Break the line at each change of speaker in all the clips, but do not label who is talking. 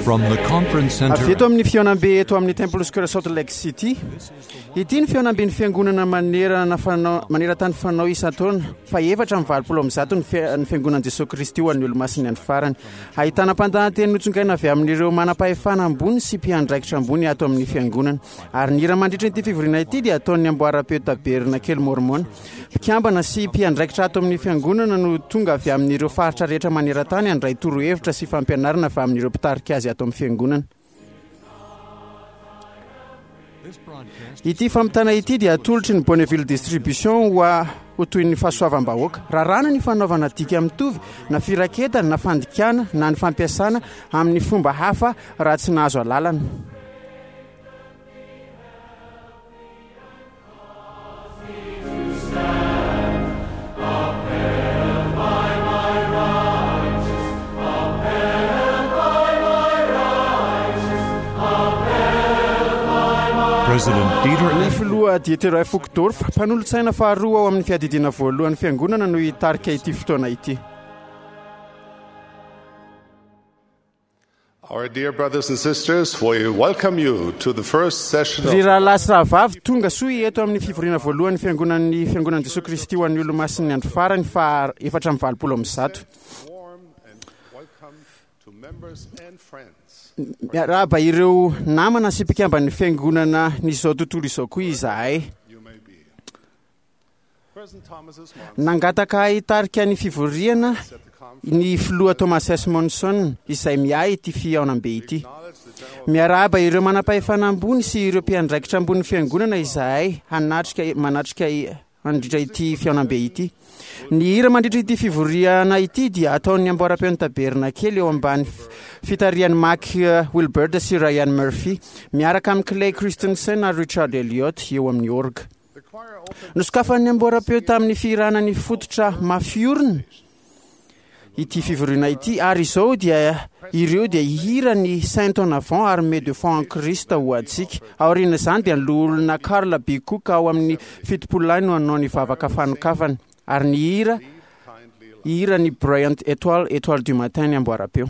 From the conference center
Avy eto amin'ny fihaonambe eto amin'ny Temple Square Salt Lake City. Ity ny fihaonamben'ny fiangonana manerana fanao maneran-tany fanao isan-taona fa 184 ny fi- ny fiangonan'i Jesoa Kristy ho an'ny Olomasin'ny andro farany. Ahitana mpandahateny notsongaina avy amin'ireo manam-pahefana ambony sy mpiandraikitra ambony ato amin'ny fiangonana. Ary ny hira mandritra ity fivoriana ity dia ataon'ny amboaram-peo Tabernakely Mormon. Mpikambana sy mpiandraikitra ato amin'ny fiangonana no tonga avy amin'ireo faritra rehetra maneran-tany handray torohevitra sy fampianarana avy amin'ireo mpitarika azy ato amin'ny fiangonana. Ity fampitana ity dia atolotry ny Bonneville Distribution ho a ho toy ny fahasoavam-bahoaka. Raràna ny fanaovana dika mitovy na firaketana na fandikana na ny fampiasana amin'ny fomba hafa raha tsy nahazo alalana. Ny filoha Dieter F. Uchtdorf, mpanolotsaina faharoa ao amin'ny fiadidiana voalohan'ny fiangonana no hitarika ity fotoana ity.
Our dear brothers and sisters, we welcome you to the first session
Ry
of
rahalahy sy rahavavy, tonga soa eto amin'ny fivoriana voalohan'ny fiangonan'ny Fiangonan'i Jesoa Kristy ho an'ny Olomasin'ny Andro Farany faha 184.
warm and welcome to members and friends.
Miarahaba ireo namana sy mpikamban'ny fiangonana n'izao tontolo izao koa izahay.
You may be. President Thomas S. Monson
Nangataka ahy hitarika ny fivoriana
at the conference
ny filoha Thomas S. Monson izay miahy ity fihaonambe ity.
acknowledged the general
Miarahaba ireo manam-pahefana ambony sy ireo mpiandraikitra ambonin'ny fiangonana izahay hanatrika manatrika mandritra ity fihaonambe ity. Ny hira mandritra ity fivoriana ity dia ataon'ny amboaram-peon'ny Tabernakely eo ambany fitarihan'i Mac Wilbert sy Ryan Murphy miaraka amin'i Clay Christensen ary Richard Elliott eo amin'ny orga.
The choir opened
Nosokafan'ny amboaram-peo tamin'ny fihirana ny fototra mafiorina ity fivoriana ity ary izao dia ireo dia hihira ny Saint en avant armée de foi en Christ ho antsika. Aorian'izany dia ny loholona Carl B. Cook ao amin'ny 70 lahy no hanao ny vavaka fanokafana ary ny hira
kindly
hira ny Brilliant Étoile Étoile du matin ny amboaram-peo.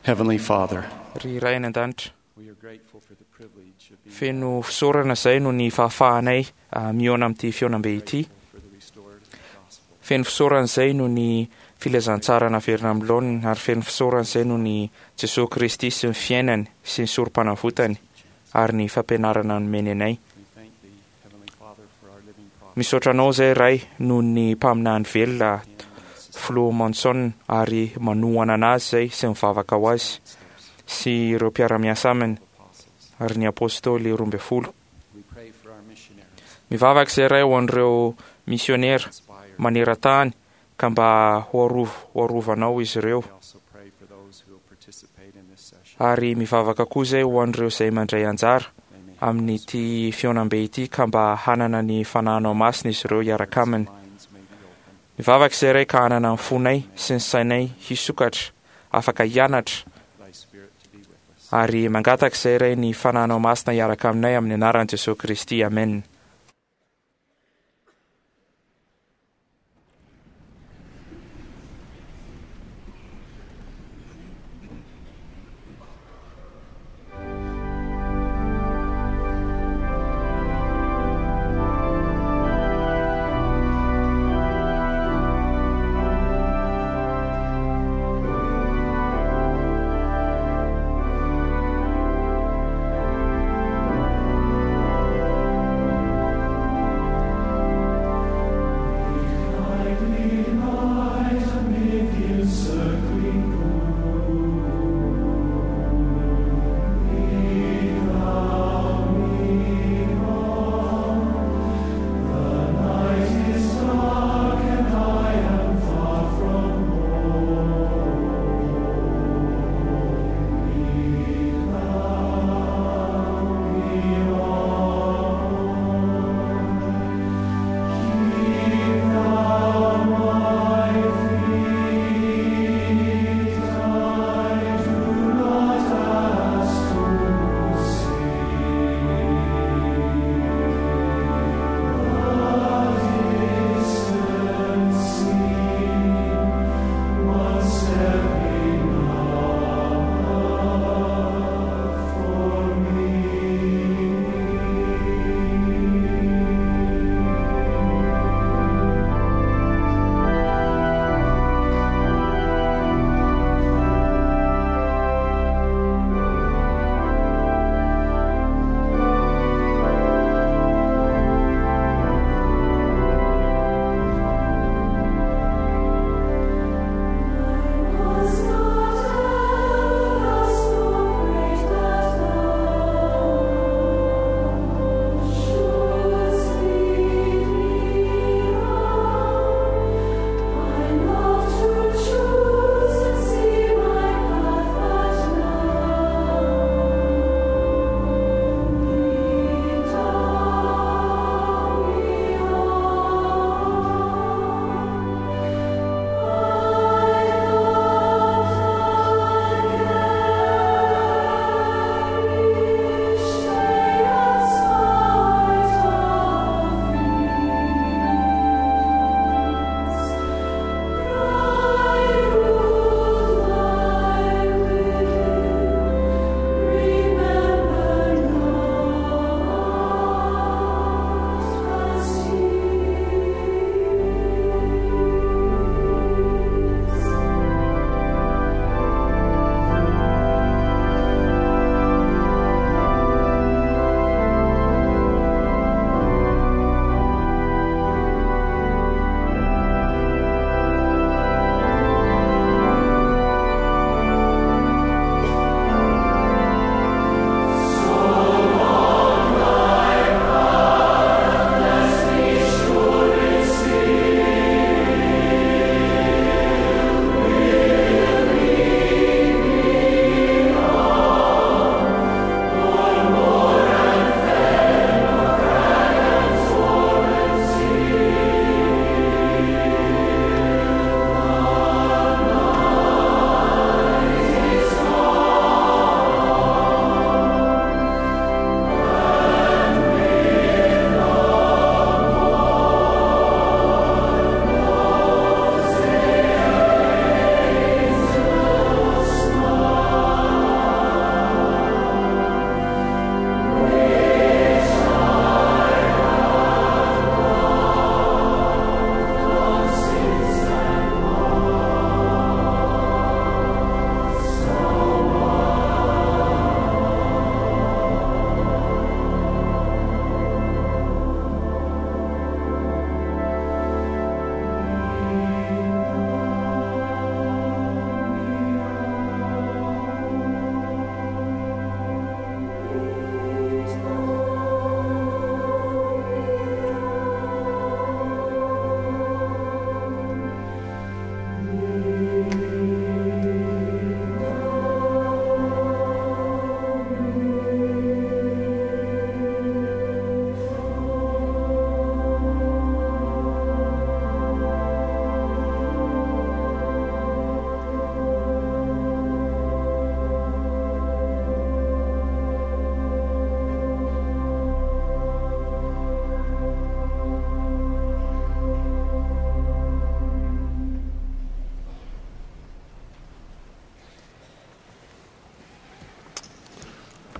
Heavenly Father,
Ry Ray any an-danitra, feno fisaorana izay noho ny fahafahanay mihaona amin'ity fihaonambe ity. Feno fisaorana izay noho ny filazantsara naverina amin'ny laoniny ary feno fisaorana izay noho ny Jesoa Kristy sy ny fiainany sy ny sorompanavotany ary ny fampianarana nomeny anay. Misaotra anao izay Ray noho ny mpaminany velona Filoha Monson ary manohana anazy izay sy mivavaka ho azy sy ireo mpiara-miasa aminy ary ny Apostoly 12. Mivavaka izay Ray ho an'ireo misionera maneran-tany ka mba ho arovanao izy ireo. Ary mivavaka koa izay ho an'ireo izay mandray anjara amin'ity fihaonambe ity ka mba hanana ny Fanahinao Masina izy ireo hiaraka aminy. Mivavaka izay Ray ka hanana ny fonay sy ny sainay hisokatra afaka hianatra ary mangataka izay Ray ny Fanahinao Masina hiaraka aminay amin'ny anaran'i Jesoa Kristy. Amen.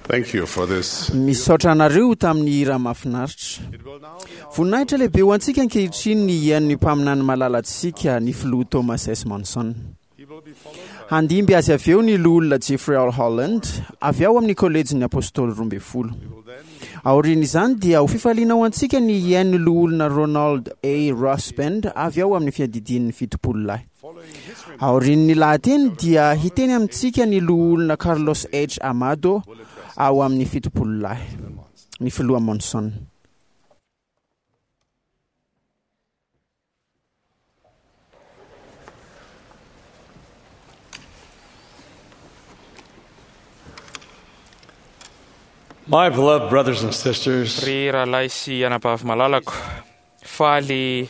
Thank you for this.
Misaotra anareo tamin'ny hira mahafinaritra.
It will now be our
Voninahitra lehibe ho antsika ankehitriny ny hihaino ny mpaminany malalantsika ny filoha Thomas S. Monson.
He will be followed by
Handimby azy avy eo ny loholona Jeffrey R. Holland avy ao amin'ny kolejin'ny apôstôly 12.
will then
Aorian'izany dia ho fifaliana ho antsika ny hihaino ny loholona Ronald A. Rosband avy ao amin'ny fiadidian'ny 70 lahy.
following his remarks
Aorian'ny lahateny dia hiteny amintsika ny loholona Carlos H. Amado ao amin'ny 70 lahy, ny filoha Monson.
My beloved brothers and sisters,
Ry rahalahy sy anabavy malalako, faly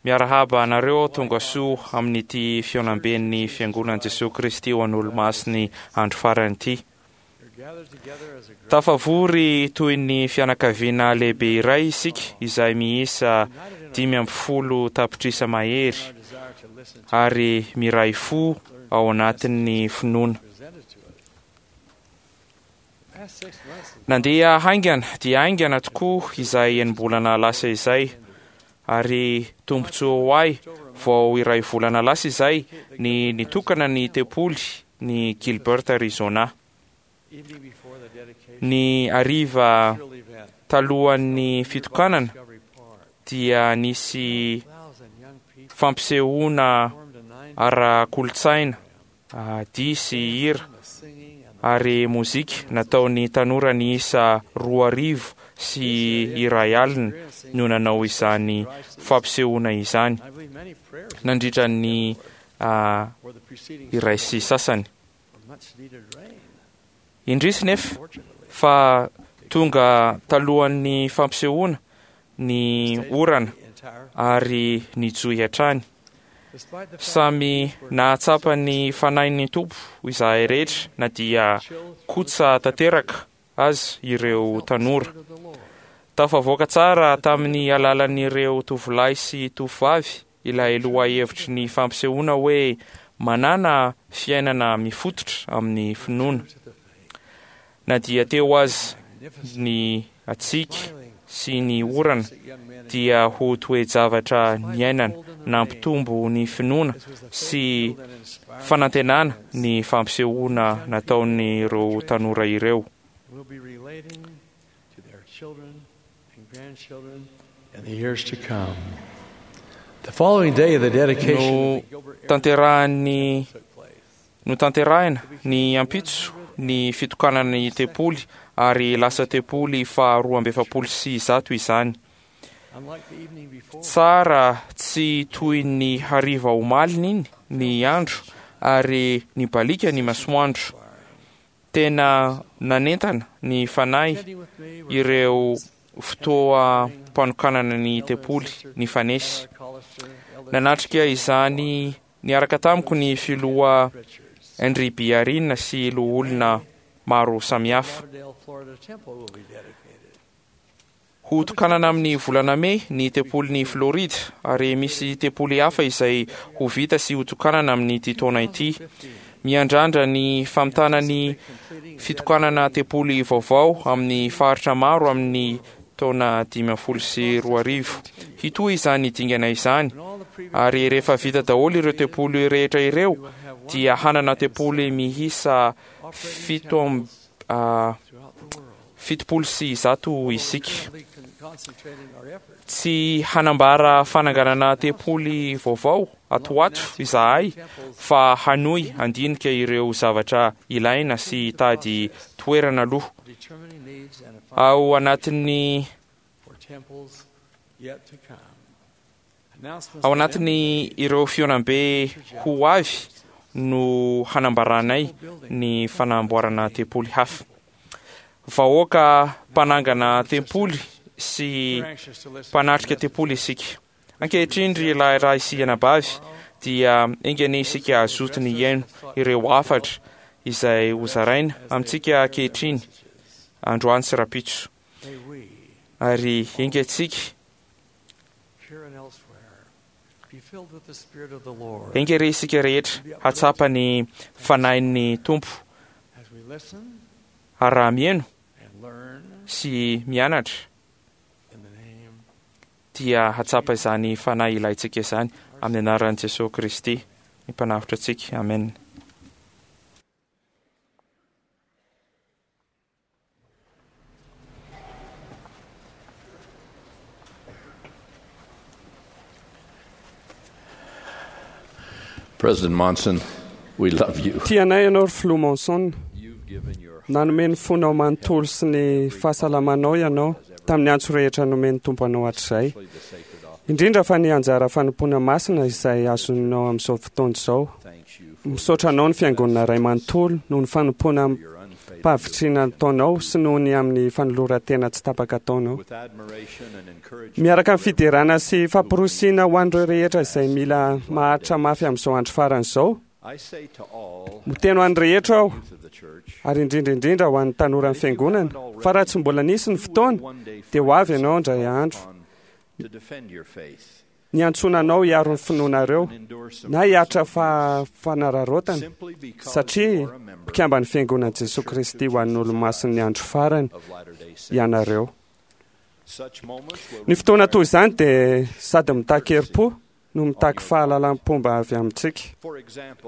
miarahaba anareo tonga soa amin'ity fihaonamben'ny fiangonan'i Jesoa Kristy ho an'olo-masiny andro farany ity. Tafavory toy ny fianakaviana lehibe iray isika izay miisa 15 tapitrisa mahery ary miray fo ao anatin'ny finoana. Nandeha haingana dia haingana tokoa izay enim-bolana lasa izay ary tombontsoa ho ahy vao iray volana lasa izay ny nitokana ny tempoly ny Gilbert Arizona. Ny hariva talohan'ny fitokanana dia nisy fampisehoana ara-kolontsaina, dihy sy hira ary mozika nataon'ny tanora niisa 201 no nanao izany fampisehoana izany nandritra ny 1:30. Indrisy nefa fa tonga talohan'ny fampisehoana ny orana ary nijohy hatrany. Samy nahatsapa ny fanahin'ny Tompo izahay rehetra na dia kotsa tanteraka azy ireo tanora. Tafavoaka tsara tamin'ny alalan'ireo tovolahy sy tovovavy ilay lohahevitry ny fampisehoana hoe manana fiainana mifototra amin'ny finoana. Na dia teo aza ny hatsiaka sy ny orana dia ho toe-javatra niainana nampitombo ny finoana sy fanantenana ny fampisehoana nataon'ireo tanora ireo.
will be relating to their children and grandchildren in the years to come. The following day, the dedication
No
of the Gilbert
tanterahan'ny
took place.
notanterahina ny ampitso ny fitokanana ny tempoly ary lasa tempoly faha 142 izany.
Unlike the evening before,
Tsara tsy toy ny hariva omaliny iny ny andro ary nibaliaka ny masoandro. Tena nanentana ny fanahy
attending with me were
ireo fotoam-panokanana ny tempoly nifanesy.
Elder Collister, Elder
Nanatrika izany niaraka tamiko ny filoha
Richards.
Henry Biarina sy loholona maro samihafa.
Lauderdale, Florida Temple will be dedicated.
Ho tokanana amin'ny volana mey ny tempolin'i Florida ary misy tempoly hafa izay ho vita sy ho tokanana amin'ity taona ity. Miandrandra ny famitana ny fitokanana tempoly vaovao amin'ny faritra maro amin'ny taona 2015. Hitohy izany dingana izany ary rehefa vita daholo ireo tempoly rehetra ireo dia hanana tempoly miisa 170 isika.
Currently concentrating our efforts
Tsy hanambara fananganana tempoly vaovao ato ho ato izahay fa hanohy handinika ireo zavatra ilaina sy hitady toerana aloha.
determining needs and
Ao anatin'ny
for temples yet to come. Announcements
ao anatin'ny ireo fihaonambe ho avy no hanambaranay ny fanamboarana tempoly hafa. Vahoaka mpanangana tempoly sy
We're anxious to listen
mpanatrika tempoly isika. Ankehitriny ry lahy sy anabavy dia enga anie isika hazoto ny hihaino ireo hafatra izay hozaraina amintsika ankehitriny androany sy rahampitso.
May we,
Ary enga antsika
here and elsewhere, be filled with the Spirit of the Lord
enga re isika rehetra hatsapa ny fanahin'ny Tompo
as we listen.
Ary raha mihaino sy mianatra dia hahatsapa izany Fanahy ilaintsika izany amin'ny anaran'i Jesoa Kristy, ny Mpanavotra antsika. Amena.
President Monson, we love you.
Tianay ianao ry Filoha Monson. Nanome ny fonao manontolo sy ny fahasalamanao ianao tamin'ny antso rehetra nomen'ny Tompo anao hatrizay. Indrindra fa ny anjara fanompoana masina izay azonao amin'izao fotoana izao. Misaotra anao ny Fiangonana iray manontolo noho ny fanompoana amim-pahavitrihana ataonao sy noho ny amin'ny fanoloran-tena tsy tapaka ataonao. Miaraka amin'ny fiderana sy famporisiana ho an'ireo rehetra izay mila maharitra mafy amin'izao andro farany izao, miteny ho an'ny rehetra aho, ary indrindra indrindra ho an'ny tanoran'ny Fiangonana, fa raha tsy mbola nisy ny fotoana, dia ho avy ianao indray andro. Niantsoana anao hiaro ny finoanareo na hiaritra fanararaotana satria mpikamban'ny Fiangonan'i Jesoa Kristy ho an'ny Olomasin'ny Andro Farany ianareo. Ny fotoana toy izany dia sady mitaky herim-po no mitaky fahalalam-pomba avy amintsika.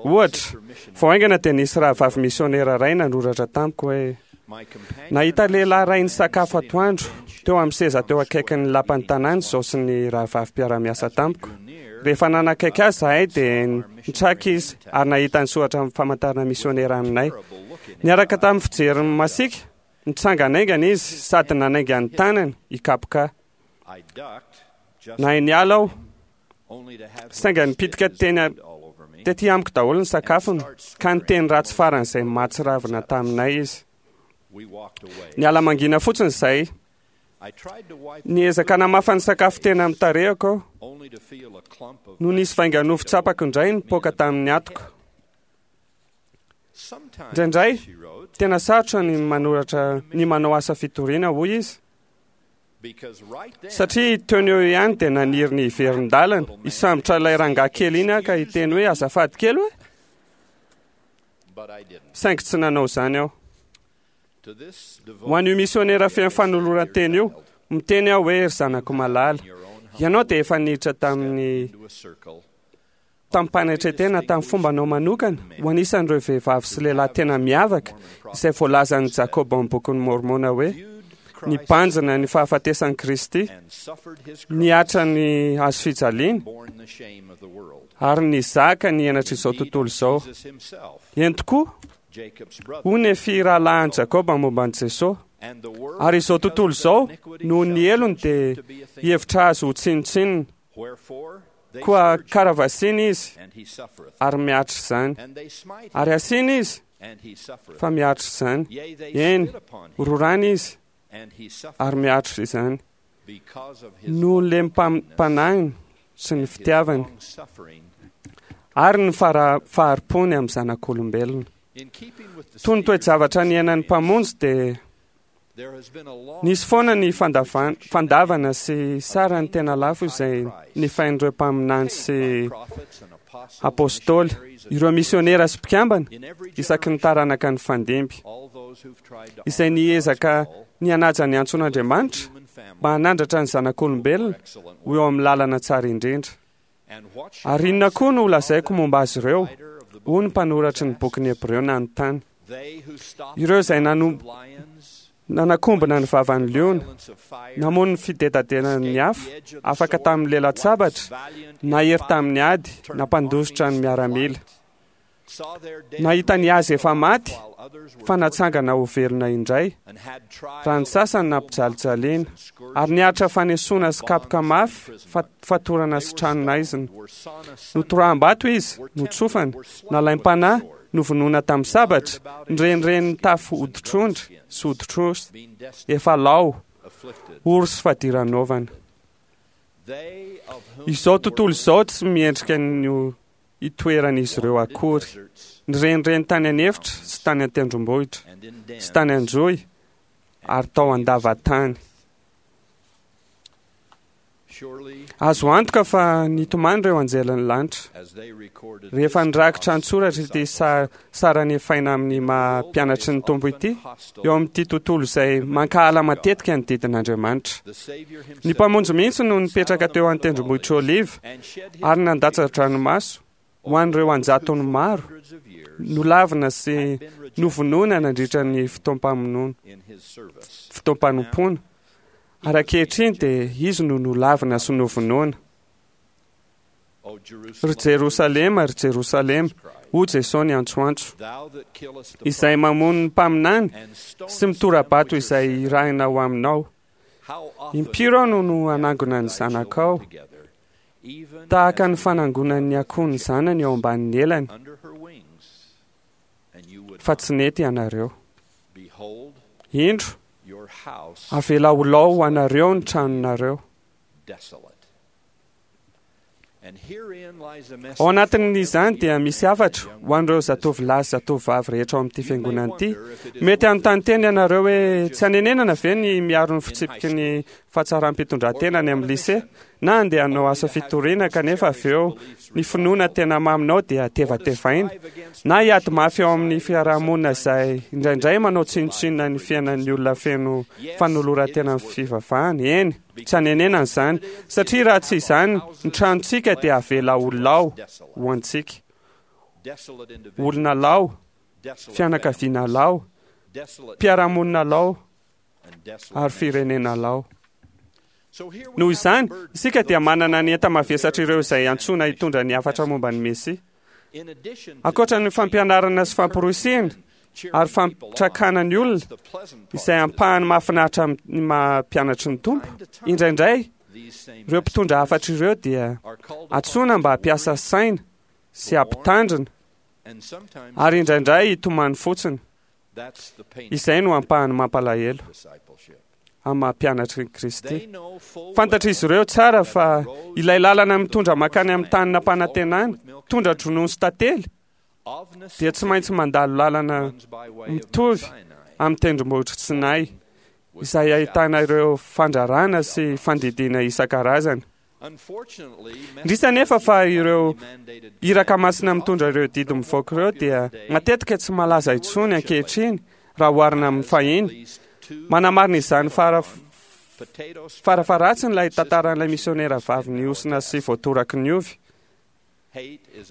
Ohatra, vao haingana dia nisy rahavavy misionera iray nanoratra tamiko hoe, Nahita lehilahy iray nisakafo atoandro teo amin'ny seza teo akaikin'ny lapan'ny tanàna izao sy ny rahavavy mpiara-miasa tamiko. Rehefa nanakaiky azy izahay dia nitraka izy ary nahita ny soratra famantarana misionera aminay. Niaraka tamin'ny fijeriny masiaka, nitsangana haingana izy sady nanainga ny tanany hikapoka ahy. Nahay niala aho, saingy nipitika teny tety amiko daholo ny sakafony, ka niteny ratsy faran'izay mahatsiravina taminay izy. Niala mangina fotsiny izay. Niezaka namafa ny sakafo teny amin'ny tarehiko aho, no nisy vainga-nofo tsapako indray nipoaka tamin'ny atiko. Indraindray, tena sarotra ny manoratra ny manao asa fitoriana, hoy izy. Satria teo no eo ihany dia naniry ny hiverin-dalana, hisambotra ilay rangahy kely iny aho ka hiteny hoe azafady kely hoe? Saingy tsy nanao izany aho. Ho an'io misionera feno fanoloran-tena io, miteny aho hoe ry zanako malala, ianao dia efa niditra tamin'ny tamim-panetren-tena tamin'ny fombanao manokana ho anisan'ireo vehivavy sy lehilahy tena miavaka izay voalazan'i Jakoba ao amin'ny Bokin'i Môrmôna hoe nibanjina ny fahafatesan'i Kristy, nihatra ny hazo fijaliana, ary nizaka ny henatr'izao tontolo izao. Eny tokoa, hoy Nefia rahalahin'i Jakoba momba an'i Jesoa, ary izao tontolo izao noho ny helony dia hihevitra azy ho tsinontsinona. Koa karavasiana izy ary miaritra izany. Ary asiana izy fa miaritra izany. Eny, rorana izy ary miaritra izany. Noho ny lemim-panahiny sy ny fitiavany ary ny fahari-pony amin'ny zanak'olombelona. Toy ny toe-javatra niainan'ny Mpamonjy dia Nisy foana ny fandavana sy sarany tena lafo izay nifain'ireo mpaminany sy apôstôly, ireo misionera sy mpikambana isaky ny taranaka nifandimby, izay niezaka ny hanaja ny antson'Andriamanitra mba hanandratra ny zanak'olombelona ho eo amin'ny lalana tsara indrindra. Ary inona koa no holazaiko momba azy ireo? Hoy ny mpanoratry ny bokin'ny Hebreo nanontany. Ireo izay nanakombona ny vavan'ny liona, namono ny fidedadenan'ny afo, afaka tamin'ny lelan-tsabatra, nahery tamin'ny ady, nampandositra ny miaramila. Nahita ny azy efa maty fa natsangana ho velona indray, raha ny sasany nampijalijaliana, ary niaritra fanesoana sy kapoka mafy, fatorana sy tranonaizina. Notoraham-bato izy, notsofana, nalaim-panahy, novonoina tamin'ny sabatra, nirenireny nitafy hoditr'ondry sy hoditr'osy, efa lao, ory sy fadiranovana. Izao tontolo izao tsy miendrika ny hitoeran'izy ireo akory. Nirenireny tany an'efitra sy tany an-tendrombohitra, sy tany an-johy ary tao an-davatany. Azo antoka fa nitomany ireo anjelin'ny lanitra rehefa nirakitra an-tsoratra ity sara nefaina amin'ny maha mpianatry ny Tompo ity eo amin'ity tontolo izay mankahala matetika ny didin'Andriamanitra. Ny Mpamonjy mihitsy no nipetraka teo an-tendrombohitr'i Oliva ary nandatsa-dranomaso ho an'ireo an-jatony maro nolavina sy novonoina nandritra ny fotoam-pamonoana, fotoam-panompoana. Ary ankehitriny dia izy no nolavina sy novonoina. Ry Jerosalema, ry Jerosalema, hoy Jesoa niantsoantso, izay mamono ny mpaminany sy mitora-bato izay irahina ho aminao. Impiry aho no no hanangona ny zanakao, tahaka ny fanangonan'ny akoho ny zanany eo ambanin'ny elany, fa tsy nety ianareo. Indro, avela ho lao ho anareo ny tranonareo. Ao anatin'izany dia misy hafatra ho an'ireo zatovolahy sy zatovovavy rehetra ao amin'ity fiangonana ity. Mety hanontany tena ianareo hoe tsy hanenenana ve ny miaro ny fitsipiky ny fahatsaram-pitondran-tena any amin'ny lycée na handeha hanao asa fitoriana kanefa avy eo ny finoana tena maminao dia tevatevaina na hiady mafy ao amin'ny fiarahamonina izay indraindray manao tsinontsinona ny fiainan'ny olona feno fanoloran-tena amin'ny fivavahana. Eny, tsy hanenenana izany, satria raha tsy izany ny tranontsika dia avela ho lao ho antsika. Olona lao, fianakaviana lao, mpiara-monina lao, ary firenena lao. Noho izany, isika dia manana ny enta-mavesatr'ireo izay antsoina hitondra ny hafatra momba ny Mesia. Ankoatra ny fampianarana sy famporisihina ary fampitrakana ny olona, izay ampahany mahafinaritra amin'ny maha mpianatry ny Tompo, indraindray ireo mpitondra hafatra ireo dia antsoina mba hampiasa saina sy hampitandrina ary indraindray hitomany fotsiny. Izay no ampahany mampalahelo amin'ny maha mpianatry ny Kristy. Fantatr'izy ireo tsara fa ilay lalana mitondra mankany amin'ny tany nampanantenana, tondra-dronono sy tantely, dia tsy maintsy mandalo lalana mitovy amin'ny tendrombohitr'i Sinay, izay ahitana ireo fandrarana sy fandidiana isan-karazany. Indrisy anefa fa ireo iraka masina mitondra ireo didy mivoaka ireo dia matetika tsy malaza intsony ankehitriny raha oharina amin'ny fahiny. Manamarina izany fara farafaharatsiny ilay tantaran'ilay misionera vavy nihosina sy voatoraky ny ovy.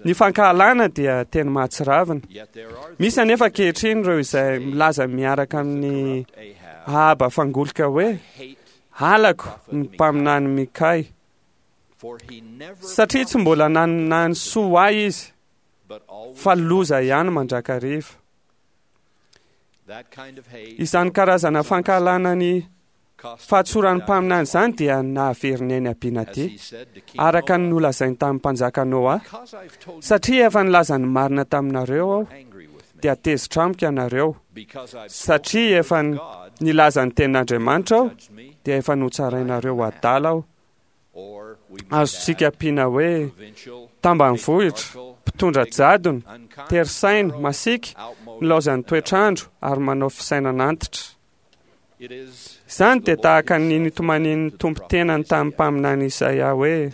Ny fankahalana dia teny mahatsiravina. Misy anefa ankehitriny ireo izay milaza miaraka amin'ny Ahaba fangolika hoe, Halako ny mpaminany Mikay, satria tsy mbola naninany soa ho ahy izy, fa loza ihany mandrakariva. Izany karazana fankahalana ny fahatsoran'ny mpaminany izany dia nahavery ny ain'i Abinadia, araka ny nolazainy tamin'ny mpanjaka Noa, Satria efa nilaza ny marina taminareo aho, dia tezitra amiko ianareo, satria efa nilaza ny tenin'Andriamanitra aho, dia efa notsarainareo ho adala aho. Azontsika ampiana hoe tambanivohitra, mpitondra jadona, tery saina, masiaka, nilaozan'ny toetr'andro ary manao fisainana antitra. Izany dia tahaka ny nitomanian'ny Tompo tenany tamin'ny mpaminany Isaia hoe,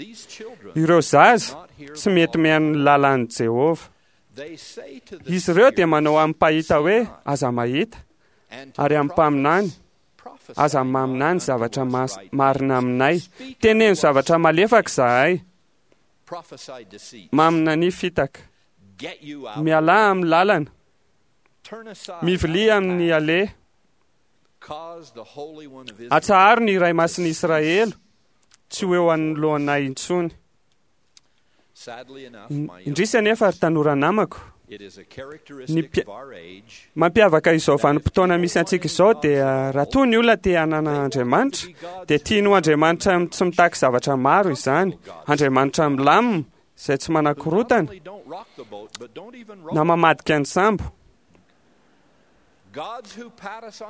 Ireo zaza tsy mety mihaino ny lalàn'i Jehovah. Izy ireo dia manao amin'ny mpahita hoe, Aza mahita, ary amin'ny mpaminany, Aza maminany zavatra marina aminay. Teneno zavatra malefaka izahay. Maminania fitaka. Mialà amin'ny lalana. Mivilia amin'ny aleha. Atsaharo ny Iray Masin'i Israely tsy ho eo anoloanay intsony. Indrisy anefa ry tanora namako, ny mampiavaka izao vanim-potoana misy antsika izao dia raha toa ny olona te hanana Andriamanitra dia tiany ho Andriamanitra tsy mitaky zavatra maro izany, Andriamanitra milamina izay tsy manakorontana na mamadika ny sambo.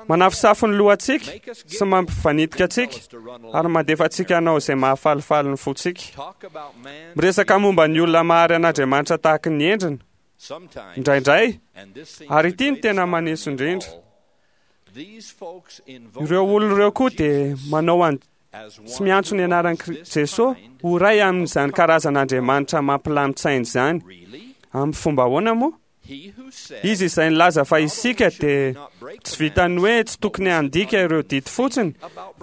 Manafosafo ny lohantsika sy mampivanitika antsika ary mandefa antsika hanao izay mahafalifaly ny fontsika. Miresaka momba ny olona mahary an'Andriamanitra tahaky ny endriny indraindray, ary ity no tena maneso indrindra. Ireo olona ireo koa dia manao an. sy miantso ny anaran'i Jesosy ho iray amin'izany karazan'Andriamanitra mampilamin-tsaina izany. Amin'ny fomba ahoana moa? Izy izay nilaza fa isika dia tsy vitan'ny hoe tsy tokony handika ireo didy fotsiny,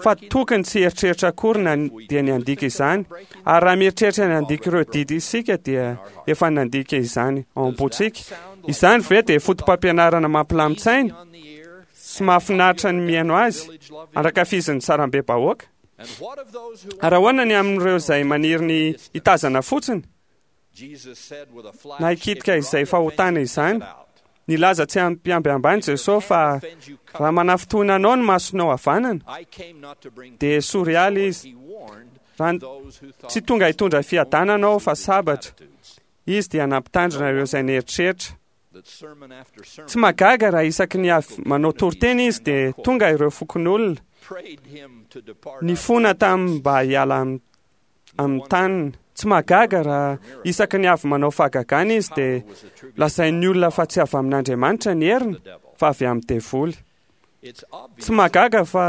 fa tokony tsy hieritreritra akory na dia ny handika izany. Ary raha mieritreritra ny handika ireo didy isika dia efa nandika izany ao am-pontsika. Izany ve dia foto-pampianarana mampilamin-tsaina sy mahafinaritra ny mihaino azy, andrakafizin'ny sarambe-bahoaka? Ary ahoana ny amin'ireo izay maniry ny hitazana fotsiny na hikitika izay fahotana izany? Nilaza tsy amim-piambiambany Jesosy fa raha manafintohina anao ny masonao havanana, dia esory ala izy. Raha tsy tonga hitondra fiadanana aho fa sabatra. Izy dia nampitandrina ireo izay nieritreritra. Tsy mahagaga raha isaky ny avy manao toriteny izy dia tonga ireo fokonolona nifona taminy mba hiala amin'ny taniny. Tsy mahagaga raha isaky ny avy manao fahagagana izy dia lazain'ny olona fa tsy avy amin'Andriamanitra ny heriny fa avy amin'ny devoly. Tsy mahagaga fa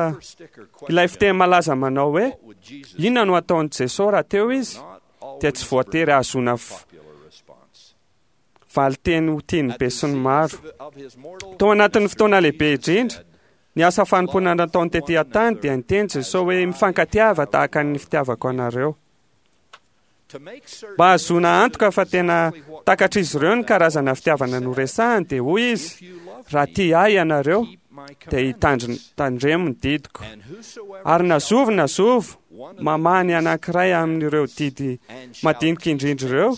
ilay fiteny malaza manao hoe inona no hataon'i Jesosy raha teo izy dia tsy voatery hahazoana valinteny ho tian'ny besinimaro. Tao anatin'ny fotoana lehibe indrindra, ny asa fanompoana nataony tetỳ an-tany dia niteny Jesosy hoe mifankatiava tahaka ny fitiavako anareo. Mba hahazoana antoka fa tena takatr'izy ireo ny karazana fitiavana noresahiny dia hoy izy, raha tia ahy ianareo dia hitandremo ny didiko. Ary na zovy na zovy mamaha ny anankiray amin'ireo didy madinika indrindra ireo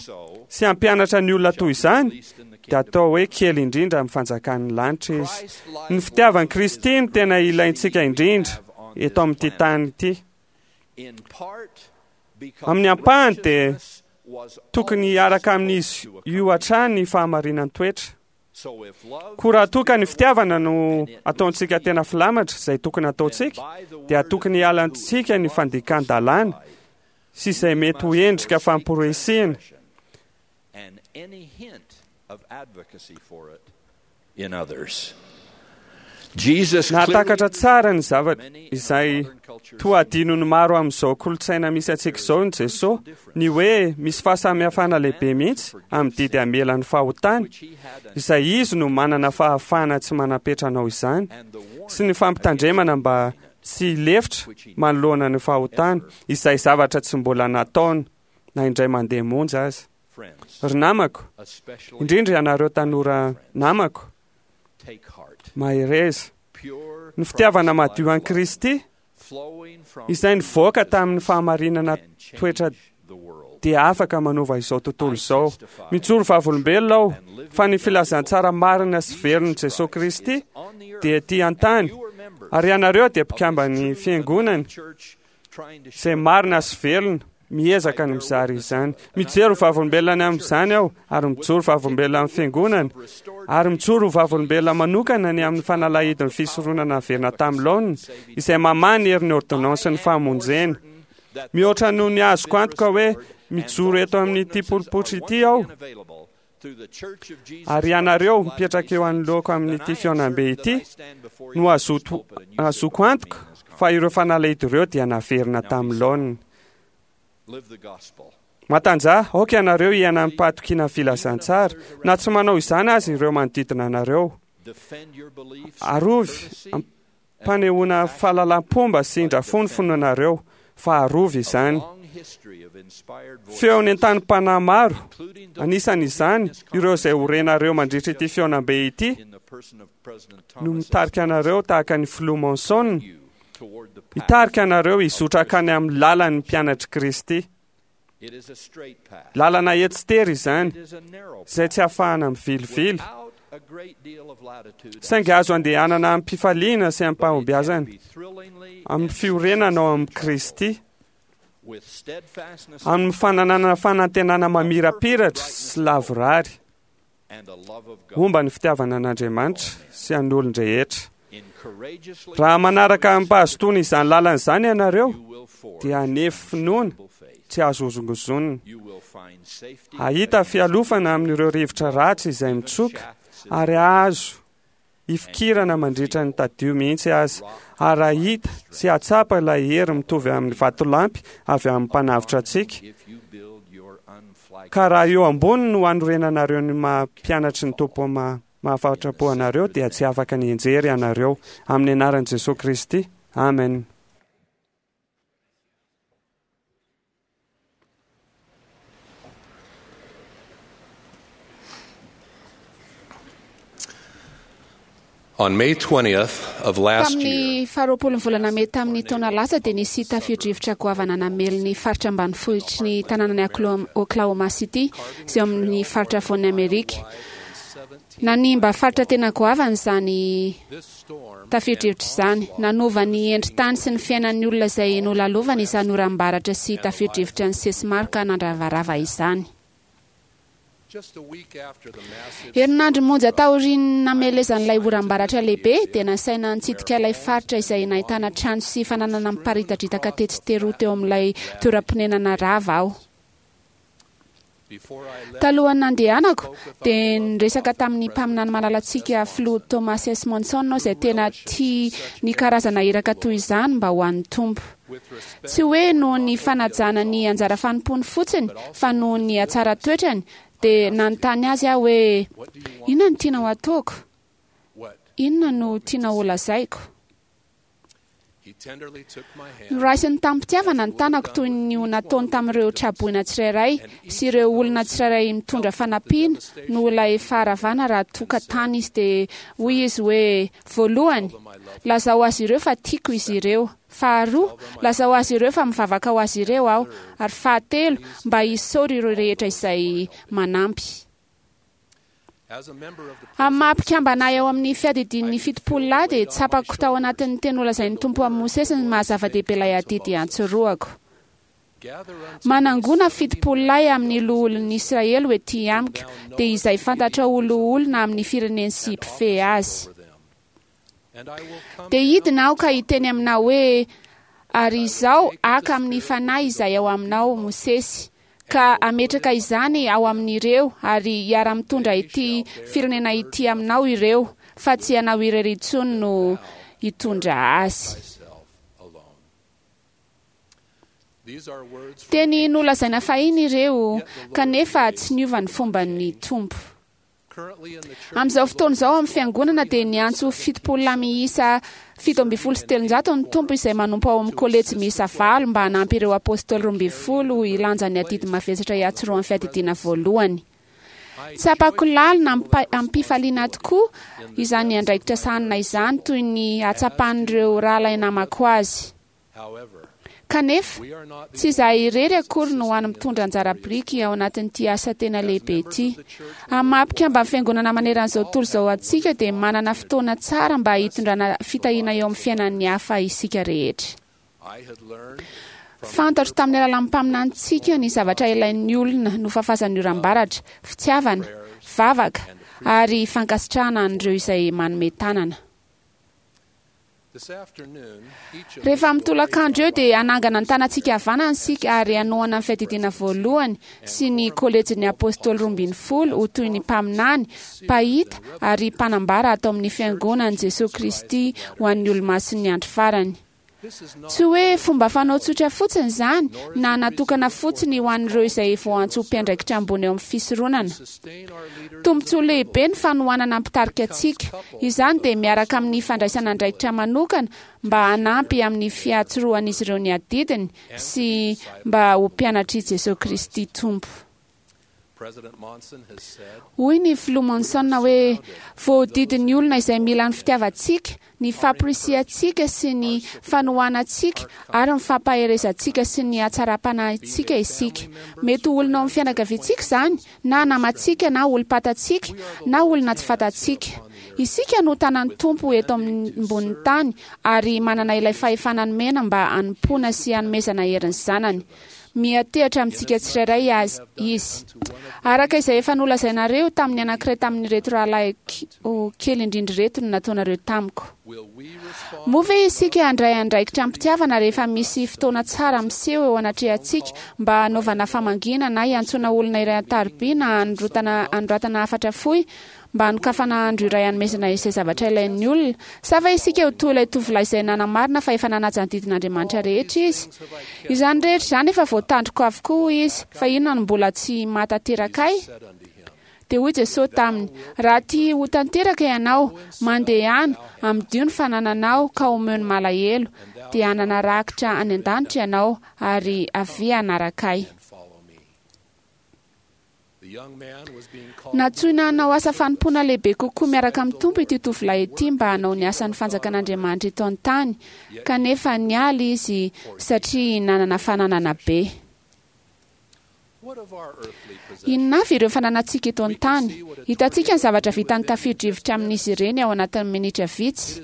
sy hampianatra ny olona toy izany dia atao hoe kely indrindra amin'ny fanjakan'ny lanitra izy. Ny fitiavan'i Kristy no tena ilaintsika indrindra eto amin'ity tany ity. Amin'ny ampahany dia tokony hiaraka amin'izy io hatrany ny fahamarinan-toetra. Koa raha toa ka ny fitiavana no ataontsika tena filamatra, izay tokony hataontsika, dia tokony hialantsika ny fandikan-dalàna sy izay mety ho endrika famporisihina. Nahatakatra tsara ny zavatra izay toa adinon'ny maro amin'izao kolontsaina misy antsika izao ny Jesosy, ny hoe misy fahasamihafana lehibe mihitsy amin'ny didy hamela ny fahotana, izay Izy no manana fahafahana tsy manam-petra hanao izany, sy ny fampitandremana mba tsy hilefitra manoloana ny fahotana, izay zavatra tsy mbola nataony na indray mandeha monja aza. Ry namako, indrindra ianareo tanora namako, mahereza. Ny fitiavana madio an'i Kristy, izay nivoaka tamin'ny fahamarinana toetra dia afaka manova izao tontolo izao. Mijoro vavolombelona aho fa ny filazantsara marina sy velon'i Jesoa Kristy dia ety an-tany, ary ianareo dia mpikamban'ny Fiangonany izay marina sy velona, miezaka ny mizara izany. Mijery ho vavolombelona ny amin'izany aho, ary mijoro vavolombelona amin'ny fiangonana, ary mijoro ho vavolombelona manokana ny amin'ny fanalahidin'ny fisoronana naverina tamin'ny laoniny, izay mamaha ny herin'ny ôrdônansin'ny famonjena. Mihoatra noho ny azoko antoka hoe mijoro eto amin'ity polipotro ity aho, Ary ianareo mipetraka eo anoloako amin'ity fihaonambe ity no azoto antoka fa ireo fanalahidy ireo dia naverina tamin'ny laoniny. Matanjaha, aoka ianareo hiaina amim-pahatokiana ny filazantsara, na tsy manao izany aza ireo manodidina anareo. Arovy am-panehoana fahalalam-pomba sy indra-fo ny finoanareo, fa arovy izany. Feo nentanim-panahy maro, anisan'izany ireo izay ho renareo mandritra ity fihaonambe ity, no mitarika anareo tahaka ny Filoha Monson, hitarika anareo hizotra hankany amin'ny lalan'ny mpianatr'i Kristy. Lalana etsy tery izany, izay tsy ahafahana mivilivily, saingy azo andehanana amim-pifaliana sy amim-pahombiazana, amin'ny fiorenana ao amin'i Kristy, amin'ny fananana fanantenana mamirapiratra sy lavorary. Homba ny fitiavana an'Andriamanitra sy an'olon-drehetra. Raha manaraka amim-pahazotoana izany lalana izany ianareo, dia hanefy finoana tsy azo hozongozonina. Hahita fialofana amin'ireo rivotra ratsy izay mitsoka ary hahazo. hifikirana mandritra ny tadio mihitsy aza, ary hahita sy hahatsapa ilay hery mitovy amin'ny vatolampy avy amin'ny Mpanavotra antsika. Ka raha eo ambony no hanorenanareo ny maha mpianatry ny Tompo mahafatrapo anareo, dia tsy afaka ny hianjery ianareo. Amin'ny anaran'i Jesoa Kristy. Amen.
On May 20th of last year,
Tamin'ny faharoapolon'ny volana mey tamin'ny taona lasa dia nisy tafio-drivotra goavana namely ny faritra ambanivohitry ny tanànan'i Oklahoma City izay eo amin'ny faritra afovoan'i Amerika. Nanimba faritra tena goavana izany tafio-drivotra izany. Nanova ny endri-tany sy ny fiainan'ny olona izay nolalovany izany oram-baratra sy tafio-drivotra nisesy maro ka nandravarava izany. Herinandro monja taorian'ny namelezan'ilay oram-baratra lehibe, dia nasaina nitsidika ilay faritra izay nahitana trano sy fananana miparitadritaka tetsy teroa teo amin'ilay toeram-ponenana rava aho. Talohan'ny nandehanako, dia niresaka tamin'ny mpaminany malalantsika Filoha Thomas S. Monson aho izay tena tia ny karazana iraka toy izany mba ho an'ny Tompo. Tsy hoe noho ny fanajana ny anjara fanompoany fotsiny, fa noho ny hatsaran-toetrany, dia nanontany azy aho hoe, Inona no tianao hataoko? Inona no tianao holazaiko? Noraisiny tamim-pitiavana ny tanako toy ny ho nataony tamin'ireo tra-boina tsirairay sy ireo olona tsirairay mitondra fanampiana noho ilay faharavana raha toa ka tany izy dia hoy izy hoe, Voalohany, lazao azy ireo fa tiako izy ireo. Faharoa, lazao azy ireo fa mivavaka ho azy ireo aho. Ary fahatelo, mba isaory ireo rehetra izay manampy. Amin'ny maha-mpikambana ahy ao amin'ny Fiadidian'ny Fitopololahy dia tsapako tao anatin'ny teny nolazain'ny Tompo amin'i Mosesy ny maha-zava-dehibe ilay adidy iantsorohako. Manangona fitopololahy amin'ny loholon'ny Israely ho ety amiko, dia izay fantatrao ho loholona amin'ny fireneny sy mpifehy azy. Dia hidina aho ka hiteny aminao hoe, Ary izao haka amin'ny fanahy izay ao aminao Mosesy, ka hametraka izany ao amin'ireo, ary hiara-mitondra ity firenena ity aminao ireo, fa tsy ianao irery intsony no hitondra azy. Teny nolazaina fahiny ireo, kanefa tsy niova ny fomban'ny Tompo. Amin'izao fotoana izao amin'ny Fiangonana dia niantso 70 lahy miisa 317 ny Tompo izay manompo ao amin'ny kolejy miisa valo mba hanampy ireo Apôstôly 12 hilanja ny adidy mavesatra hiantsorohan'ny fiadidiana voalohany. Tsapako lalina amim-pifaliana tokoa izany andraikitra sahanina izany toy ny hatsapan'ireo rahalahy namako azy. Kanefa, tsy izahay irery akory no hany mitondra anjara biriky ao anatin'ity asa tena lehibe ity. Amin'ny maha-mpikamban'ny Fiangonana maneran'izao tontolo izao antsika dia manana fotoana tsara mba hitondrana fitahiana eo amin'ny fiainan'ny hafa isika rehetra. Fantatro tamin'ny alalan'ny mpaminanintsika ny zavatra ilain'ny olona nofafazan'ny oram-baratra, fitiavana, vavaka, ary fankasitrahana an'ireo izay manome tanana. Rehefa amin'ny tolakandro eo dia hanangana ny tanantsika havanana isika ary hanohana ny Fiadidiana Voalohany sy ny Kolejin'ny Apôstôly Roambinifolo ho toy ny mpaminany, mpahita ary mpanambara ato amin'ny Fiangonan'i Jesoa Kristy ho an'ny Olomasin'ny Andro Farany. Tsy hoe fomba fanao tsotra fotsiny izany na natokana fotsiny ho an'ireo izay voaantso ho mpiandraikitra ambony eo amin'ny fisoronana. Tombontsoa lehibe ny fanohanana mpitarika antsika. Izany dia miaraka amin'ny fandraisana andraikitra manokana mba hanampy amin'ny fiatsorohan'izy ireo ny adidiny sy mba ho mpianatr'i Jesoa Kristy Tompo. Hoy ny Filoha Monson hoe, Voahodidin'ny olona izay mila ny fitiavantsika, ny famporisihantsika sy ny fanohanantsika ary ny fampaherezantsika sy ny hatsaram-panahintsika isika. Mety ho olona ao amin'ny fianakaviantsika izany, na namantsika, na olom-pantatsika, na olona tsy fantatsika. Isika no tanan'ny Tompo eto ambonin'ny tany ary manana ilay fahefana nomena mba hanompoana sy hanomezana hery ny zanany. Miantehatra amintsika tsirairay azy Izy. Araka izay efa nolazainareo tamin'ny anankiray tamin'ireto rahalahiko kely indrindra ireto no nataonareo tamiko. Moa ve isika handray andraikitra am-pitiavana rehefa misy fotoana tsara miseho eo anatrehantsika mba hanaovana famangiana na hiantsoana olona iray an-tariby na hanoratana hafatra fohy? mba hanokafana andro iray hanomezana izay zavatra ilain'ny olona? Sa va isika ho toy ilay tovolahy izay nanamarina fa efa nanaja ny didin'Andriamanitra rehetra izy? Izany rehetra izany efa voatandriko avokoa, hoy izy, fa inona no mbola tsy mahatanteraka ahy? Dia hoy Jesosy taminy, Raha tia ho tanteraka ianao, mandehana, amidio ny fanananao ka omeo ny malahelo, dia hanana rakitra any an-danitra ianao, ary avia hanaraka Ahy. Nantsoina hanao asa fanompoana lehibe kokoa miaraka amin'ny Tompo ity tovolahy ity mba hanao ny asan'ny fanjakan'Andriamanitra eto an-tany, kanefa niala izy satria nanana fananana be. Inona avy ireo fananantsika eto an-tany? Hitantsika ny zavatra vitan'ny tafio-drivotra amin'izy ireny ao anatin'ny minitra vitsy.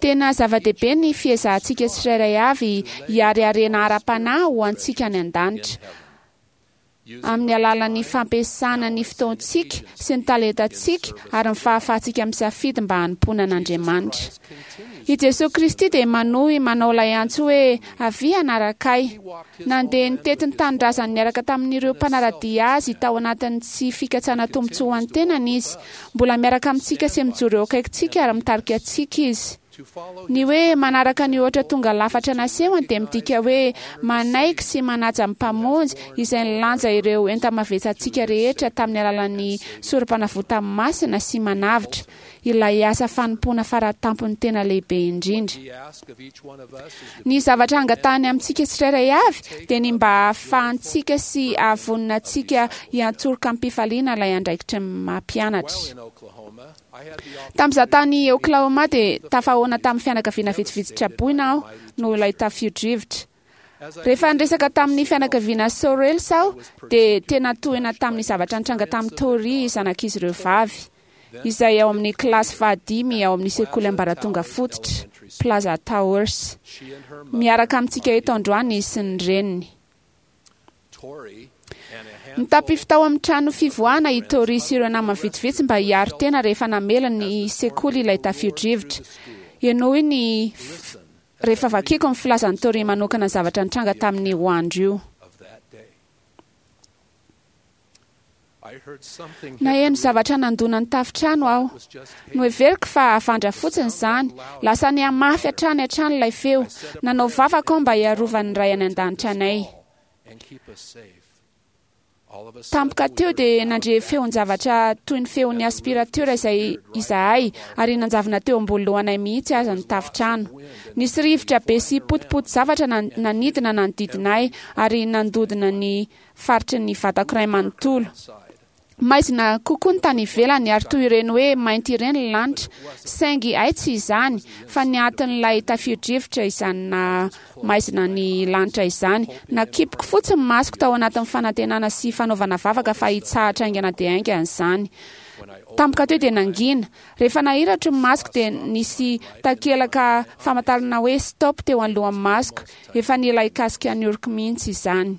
Tena zava-dehibe ny fiezahantsika tsirairay avy hihary harena ara-panahy ho antsika any an-danitra, amin'ny alalan'ny fampiasana ny fotoantsika sy ny talentantsika ary ny fahafahantsika misafidy mba hanompoana an'Andriamanitra. I Jesoa Kristy dia manohy manao ilay antso hoe, Avia hanaraka Ahy. Nandeha nitety ny tanindrazany niaraka tamin'ireo mpanara-dia azy tao anatin'ny tsy fikatsana tombontsoa ho an'ny tenany izy. Mbola miaraka amintsika sy mijoro eo akaikintsika ary mitarika antsika izy. Ny hoe manaraka ny ohatra tonga lafatra nasehony dia midika hoe manaiky sy manaja ny Mpamonjy izay nilanja ireo enta-mavetsantsika rehetra tamin'ny alalan'ny Sorompanavotany masina sy manavotra. ilay asa fanompoana faratampony tena lehibe indrindra. Ny zavatra angatahany amintsika tsirairay avy dia ny mba hahafahantsika sy hahavonona antsika hiantsoroka amim-pifaliana ilay andraikitry ny maha-mpianatra. Tamin'izaho tany Oklahoma dia tafahaona tamin'ny fianakaviana vitsivitsy traboina aho noho ilay tafio-drivotra. Rehefa niresaka tamin'ny fianakaviana Sorrells aho dia tena tohina tamin'ny zavatra nitranga tamin'i Tori zanak'izy ireo vavy, izay ao amin'ny kilasy fahadimy ao amin'ny sekoly ambaratonga fototra, Plaza Towers. Miaraka amintsika eto androany izy sy ny reniny. Nitapify tao amin'ny trano fivoahana i Tori sy ireo namany vitsivitsy mba hiaro tena rehefa namela ny sekoly ilay tafio-drivotra. Henoy ny Rehefa vakiko ny filazan'i Tori manokana ny zavatra nitranga tamin'io andro io. Naheno zavatra nandona ny tafontrano aho. Noheveriko fa havandra fotsiny izany. Lasa nihamafy hatrany hatrany ilay feo. Nanao vavaka aho mba hiarovan'ny Ray any An-danitra anay. Tampoka teo dia nandre feon-javatra toy ny feon'ny aspiratera izay izahay ary nanjavona teo ambony lohanay mihitsy aza ny tafontrano. Nisy rivotra be sy potipoti-javatra nanidina nanodidina ahy ary nandodona ny faritry ny vatako iray manontolo. Maizina kokoa ny tany ivelany ary toy ireny hoe mainty ireny ny lanitra, saingy hay tsy izany fa ny atin'ilay tafio-drivotra izany naha maizina ny lanitra izany. Nakipiko fotsiny ny masoko tao anatin'ny fanantenana sy fanaovana vavaka fa hitsahatra haingana dia haingana izany. Tampoka teo dia nangina. Rehefa nahiratro ny masoko dia nisy takelaka famantarana hoe stop teo anoloan'ny masoko. Efa nila hikasika ny oroko mihitsy izany.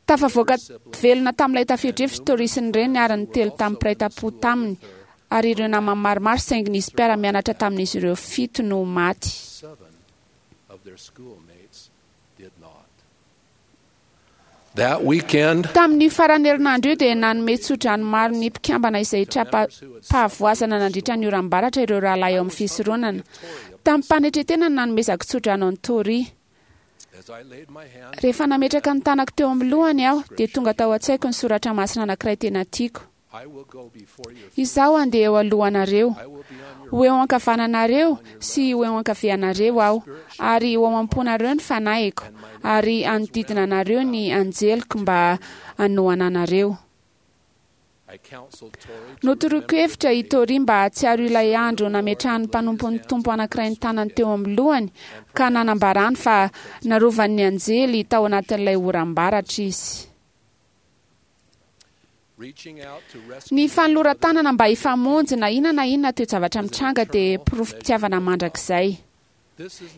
Tafavoaka velona tamin'ilay tafio-drivotra Tori sy ny reniny ary ny telo tamin'ny mpiray tampo taminy ary ireo namany maromaro saingy nisy mpiara-mianatra tamin'izy ireo fito no maty. Tamin'io faran'ny herinandro io dia nanome tsodrano maro ny mpikambana izay tra-pahavoazana nandritra ny oram-baratra ireo rahalahy ao amin'ny fisoronana. Tamim-panetren-tena no nanomezako tsodrano an'i Tori. Rehefa nametraka ny tanako teo amin'ny lohany aho, dia tonga tao an-tsaiko ny soratra masina anankiray tena tiako. Izaho handeha eo alohanareo. Ho eo ankavananareo sy ho eo ankavianareo aho, ary ho ao am-ponareo ny fanahiko, ary hanodidina anareo ny anjeliko mba hanohana anareo. Notoroiko hevitra i Tori mba hahatsiaro ilay andro nametrahan'ny mpanompon'ny Tompo anankiray ny tanany teo amin'ny lohany ka nanambarany fa narovan'ny anjely tao anatin'ilay oram-baratra izy. Ny fanoloran-tanana mba hifamonjy na inona na inona toe-javatra mitranga dia porofom-pitiavana mandrakizay.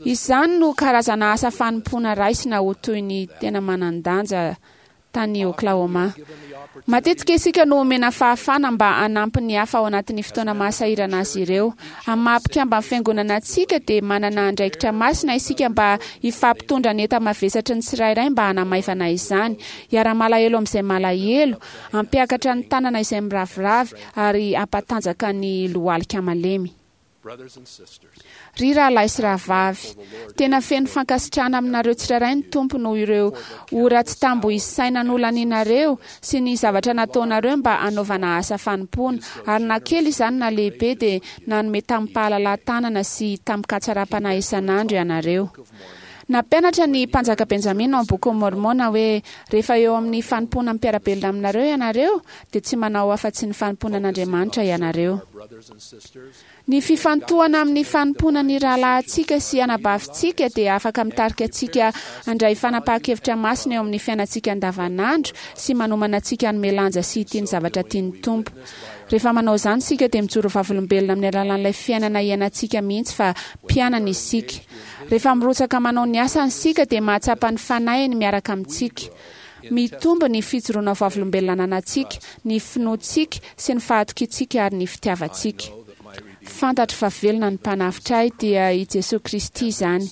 Izany no karazana asa fanompoana raisina ho toy ny tena manan-danja. tany Oklahoma. Matetika isika no omena fahafahana mba hanampy ny hafa ao anatin'ny fotoana mahasahirana azy ireo. Amin'ny maha mpikamban'ny fiangonana antsika dia manana andraikitra masina isika mba hifampitondra ny enta-mavesatry ny tsirairay mba hanamaivana izany, hiara-malahelo amin'izay malahelo, hampiakatra ny tanana izay miraviravy ary hampatanjaka ny lohalika malemy. Ry rahalahy sy rahavavy, tena feno fankasitrahana aminareo tsirairay ny Tompo noho ireo ora tsy tambo isaina nolanianareo sy ny zavatra nataonareo mba hanaovana asa fanompoana, ary na kely izany na lehibe dia nanome tamim-pahalalahan-tanana sy tamin-katsaram-panahy isan'andro ianareo. Nampianatra ny Mpanjaka Benjamina ao amin'ny Bokin'i Môrmôna hoe, Rehefa eo amin'ny fanompoana ny mpiara-belona aminareo ianareo, dia tsy manao afa-tsy ny fanompoana an'Andriamanitra ianareo. Ny fifantohana amin'ny fanompoana ny rahalahintsika sy anabavintsika dia afaka mitarika antsika handray fanapahan-kevitra masina eo amin'ny fiainantsika andavanandro sy manomana antsika hanome lanja sy hitia ny zavatra tian'ny Tompo. Rehefa manao izany isika dia mijoro vavolombelona amin'ny alalan'ilay fiainana iainantsika mihitsy fa mpianany isika. Rehefa mirotsaka manao ny asany isika dia mahatsapa ny Fanahiny miaraka amintsika. Mitombo ny fijoroana ho vavolombelona ananantsika, ny finoantsika sy ny fahatokiantsika ary ny fitiavantsika. Fantatro fa velona ny Mpanavotra ahy, dia i Jesoa Kristy izany.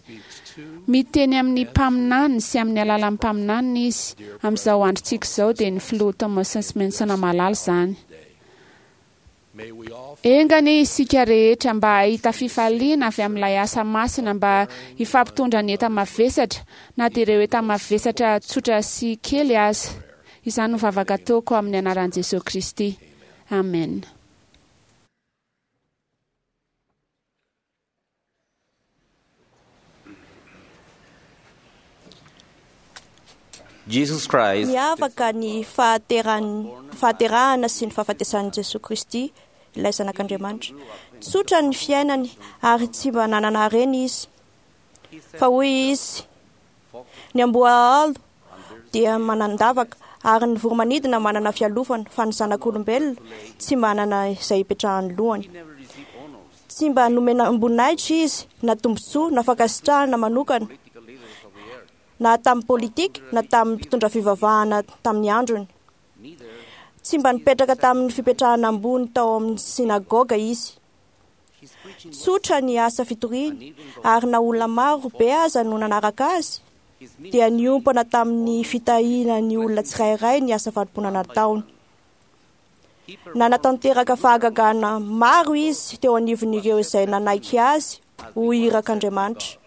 Miteny amin'ny mpaminaniny sy amin'ny alalan'ny mpaminaniny Izy. Amin'izao androntsika izao dia ny Filoha Thomas Monson malala izany. Enga anie isika rehetra mba hahita fifaliana avy amin'ilay asa masina mba hifampitondra ny enta-mavesatra, na dia ireo enta-mavesatra tsotra sy kely aza. Izany no vavaka ataoko amin'ny anaran'i Jesoa Kristy. Amena.
Miavaka ny fahaterahana sy ny fahafatesan'i Jesoa Kristy, ilay Zanak'Andriamanitra. Tsotra ny fiainany ary tsy mba nanana harena izy. Fa hoy izy, ny amboahaolo dia manan-davaka ary ny voromanidina manana fialofana, fa ny zanak'olombelona tsy manana izay hipetrahan'ny lohany. Tsy mba nomena voninahitra izy, na tombontsoa, na fankasitrahana manokana, na tamin'ny politika, na tamin'ny mpitondra fivavahana tamin'ny androny. Tsy mba nipetraka tamin'ny fipetrahana ambony tao amin'ny synagoga izy. Tsotra ny asa fitoriany, ary na olona maro be aza no nanaraka azy, dia niompana tamin'ny fitahiana ny olona tsirairay ny asa fanompoana nataony. Nanatanteraka fahagagana maro izy teo anivon'ireo izay nanaiky azy ho irak'Andriamanitra.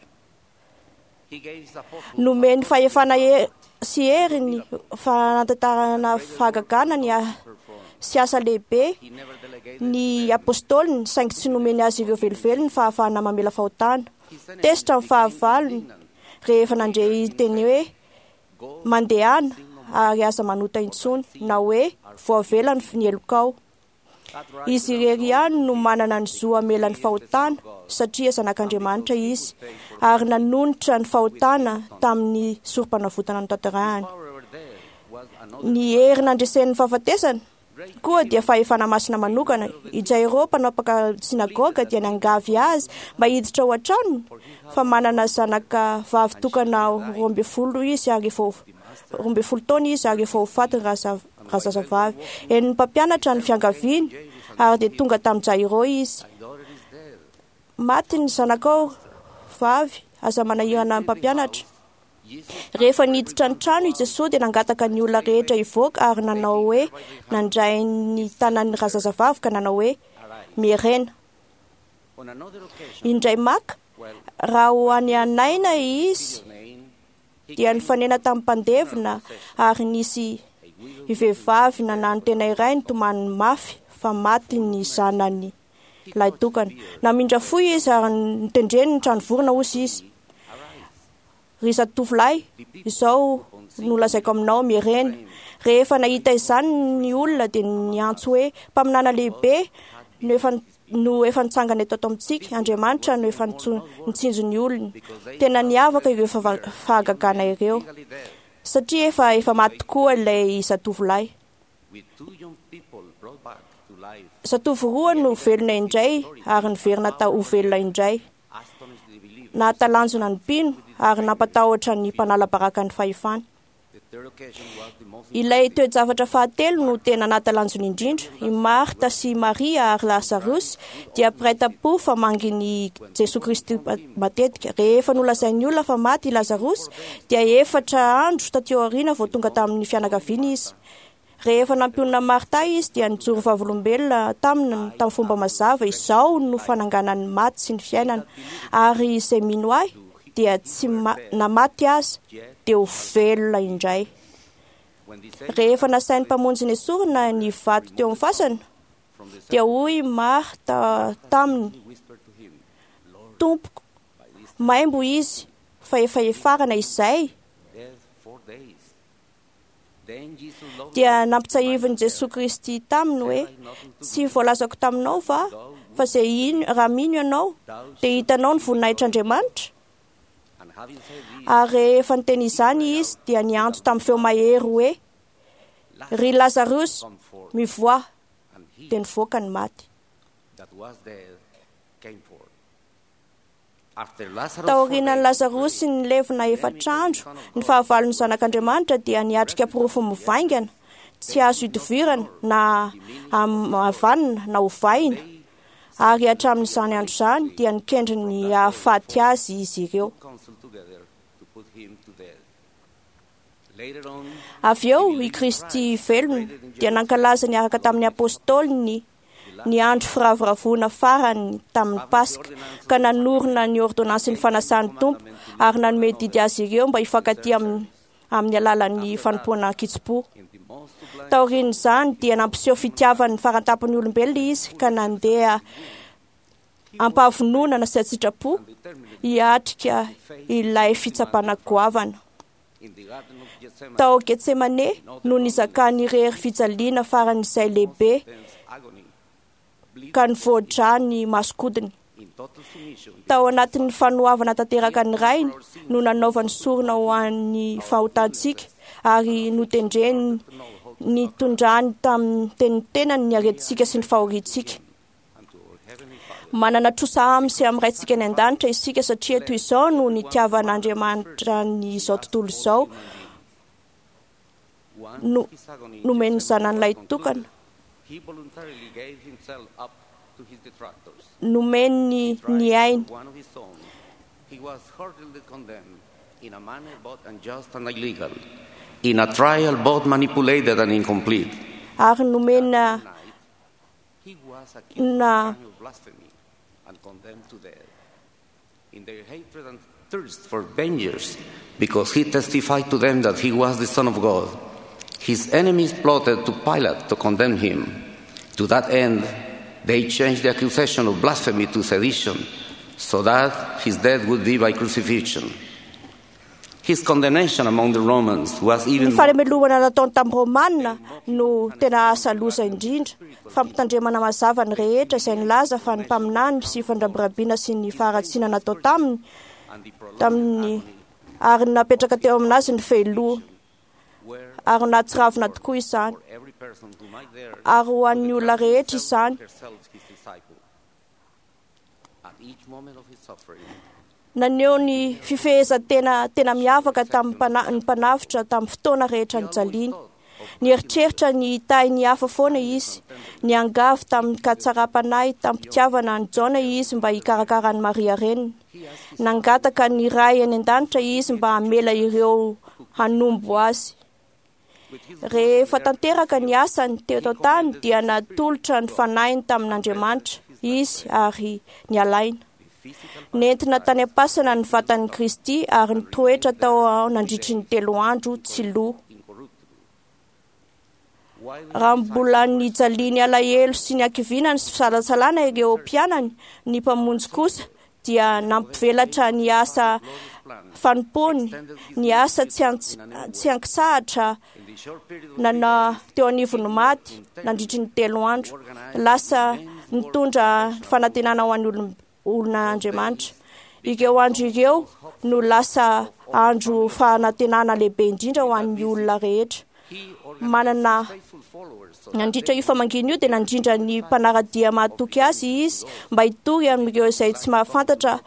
Nomeny fahefana sy hery ny fanatanterahana fahagagana ny sy asa lehibe ny apôstôliny, saingy tsy nomeny azy ireo velively ny fahafahana mamela fahotana. Tezitra ny fahavalony rehefa nandre teny hoe mandehana ary aza manota intsony, na hoe voavela ny helokao. Izy irery ihany no manana ny zo hamela ny fahotana, satria zanak'Andriamanitra izy, ary nanonitra ny fahotana tamin'ny sorom-panavotana notanterahany. Ny hery nandresen'ny fahafatesana koa dia fahefana masina manokana. I Jairo, mpanapaka synagoga, dia niangavy azy mba hiditra ao an-tranony, fa manana zanaka vavy tokana 12 izy ary efa 12 taona izy ary efa ho faty razazavavy. Henon'ny mpampianatra ny fiangaviany ary dia tonga tamin'i Jairo izy. Maty ny zanakao vavy, aza manahirana ny mpampianatra. Rehefa niditra ny trano i Jesoa dia nangataka ny olona rehetra hivoaka ary nanao hoe nandray ny tanan'ny razazavavy ka nanao hoe mierena. Indray maka, raha ho any Naina izy dia nifanena tamin'ny mpandevina ary nisy vehivavy nanano tena iray nitomany mafy fa maty ny zanany lahitokana. Namindra fo izy ary notendreny ny trano vorona hozy izy. Ry zatovolahy, izao no lazaiko aminao, mierena. Rehefa nahita izany ny olona dia niantso hoe mpaminana lehibe no efa nitsangana eto amintsika, Andriamanitra no efa nitsinjo ny olony. Tena niavaka ireo fahagagana ireo, satria efa maty tokoa ilay zatovolahy. Zatovo roa no velona indray ary niverina ho velona indray. Nahatalanjona ny mpino ary nampatahotra ny mpanala baraka ny fahefana. Ilay toe-javatra fahatelo no tena nahatalanjona indrindra. I Marta sy i Maria ary Lazarosy dia mpiray tam-po fa mangin'i Jesoa Kristy matetika. Rehefa nolazain'ny olona fa maty i Lazarosy dia 4 andro taty aoriana vao tonga tamin'ny fianakaviany izy. Rehefa nampionona Marta izy dia nijoro vavolombelona taminy tamin'ny fomba mazava: izao no fananganan'ny maty sy ny fiainana, ary izay mino ahy dia tsy na maty aza dia ho velona indray. Rehefa nasain'ny mpamonjy nesorina ny vato teo amin'ny fasana dia hoy Marta taminy: Tompoko, maimbo izy fa efa hefarana izay. Dia nampitsahivin'i Jesoa Kristy taminy hoe: tsy voalazako taminao va fa izay ino raha mino ianao dia hitanao ny voninahitr'Andriamanitra? Ary rehefa niteny izany izy dia niantso tamin'ny feo mahery hoe: ry Lazarosy, mivoaha! Dia nivoaka ny maty. Taorianan'i Lazarosy nilevina 4 andro, ny fahavalon'ny zanak'Andriamanitra dia niatrika porofo mivaingana tsy azo idovirana na havanina na hovaina, ary hatramin'izany andro izany dia nikendry ny hahafaty azy izy ireo. Avy eo i Kristy velona dia nankalaza niaraka tamin'ny apôstôliny ny andro firavoravoana farany tamin'ny Paska, ka nanorina ny ordonansin'ny fanasan'ny Tompo ary nanome didy azy ireo mba hifankatia amin'ny alalan'ny fanompoana an-kitsim-po. Taorian'izany dia nampiseho fitiavany farantampon'ny olombelona izy ka nandeha ampahavononana sy an-tsitrapo hiatrika ilay fitsapana goavana. Tao Getsemane no nizakany irery fijaliana faran'izay lehibe ka nivoadra ny masokodiny. Tao anatin'ny fanoavana tanteraka ny Rainy no nanaovany sorona ho an'ny fahotantsika ary notendreny nitondrany tamin'ny tenany ny aretintsika sy ny fahoriantsika. Manana trosa aminy sy amin'ny Raintsika any an-danitra isika satria toy izao no nitiavan'Andriamanitra ny izao tontolo izao, no nomen'ny zanany lahitokana, nomeny ny ainy. Ary nomena na
In their hatred and thirst for vengeance, because he testified to them that he was the Son of God, his enemies plotted to Pilate to condemn him. To that end, they changed the accusation of blasphemy to sedition, so that his death would be by crucifixion. His condemnation among the Romans was even
Ny fanamelohana nataony tamin'ny Romanina no tena asa loza indrindra. Fampitandremana mazava ny rehetra izay nilaza fa ny mpaminany sy fandrabirabiana sy ny faharatsiana natao taminy tamin'ny ary napetraka teo aminazy ny fehiloha ary nahatsiravina tokoa izany ary ho an'ny olona rehetra izany. Naneho ny fifehezan-tena tena miavaka tamin'ny mpanavotra tamin'ny fotoana rehetra nijaliany. Nieritreritra ny hitahy ny hafa foana izy. Niangavy tamin'ny katsaram-panahy tamin'ny-pitiavana an'i Jaona izy mba hikarakara an'i Maria reniny. Nangataka ny Ray any an-danitra izy mba hamela ireo hanombo azy. Rehefa tanteraka ny asany teto an-tany dia natolotra ny fanahiny tamin'Andriamanitra izy ary nialaina. Nentina tany am-pasana ny vatan'i Kristy ary nitoetra tao nandritry ny 3 andro tsy lo. Raha mbola nijaliany alahelo sy ny hakiviana ny fisalasalana ireo mpianany, ny mpamonjy kosa dia nampivelatra ny asa fanompoany, ny asa tsy ankisahatra nana teo anivon'ny maty nandritry ny 3 andro. Lasa nitondra fanantenana ho an'ny olon'Andriamanitra. Ireo andro ireo no lasa andro fanantenana lehibe indrindra ho an'ny olona rehetra. Manana nandritra io famangiana io dia nandrindra ny mpanara-dia mahatoky azy izy mba hitory amin'ireo izay tsy mahafantatra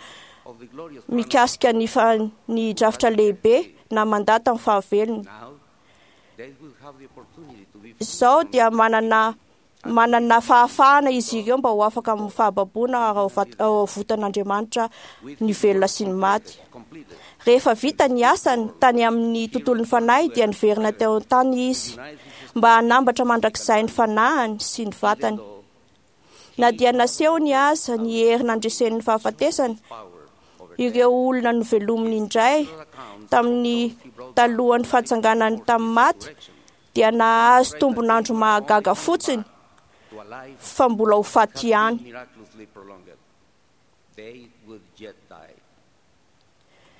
mikasika ny drafitra lehibe na mandà tamin'ny fahavelony. Izao dia manana manana fahafahana izy ireo mba ho afaka amin'ny fahababoana ary ho avotan'Andriamanitra ny velona sy ny maty. Rehefa vita ny asany tany amin'ny tontolon'ny fanahy dia niverina teo an-tany izy mba hanambatra mandrakizay ny fanahiny sy ny vatany. Na dia nasehony aza ny hery nandresen'ny fahafatesana, ireo olona novelominy indray tamin'ny talohan'ny fahatsanganany tamin'ny maty dia nahazo tombon'andro mahagaga fotsiny fa mbola ho faty ihany.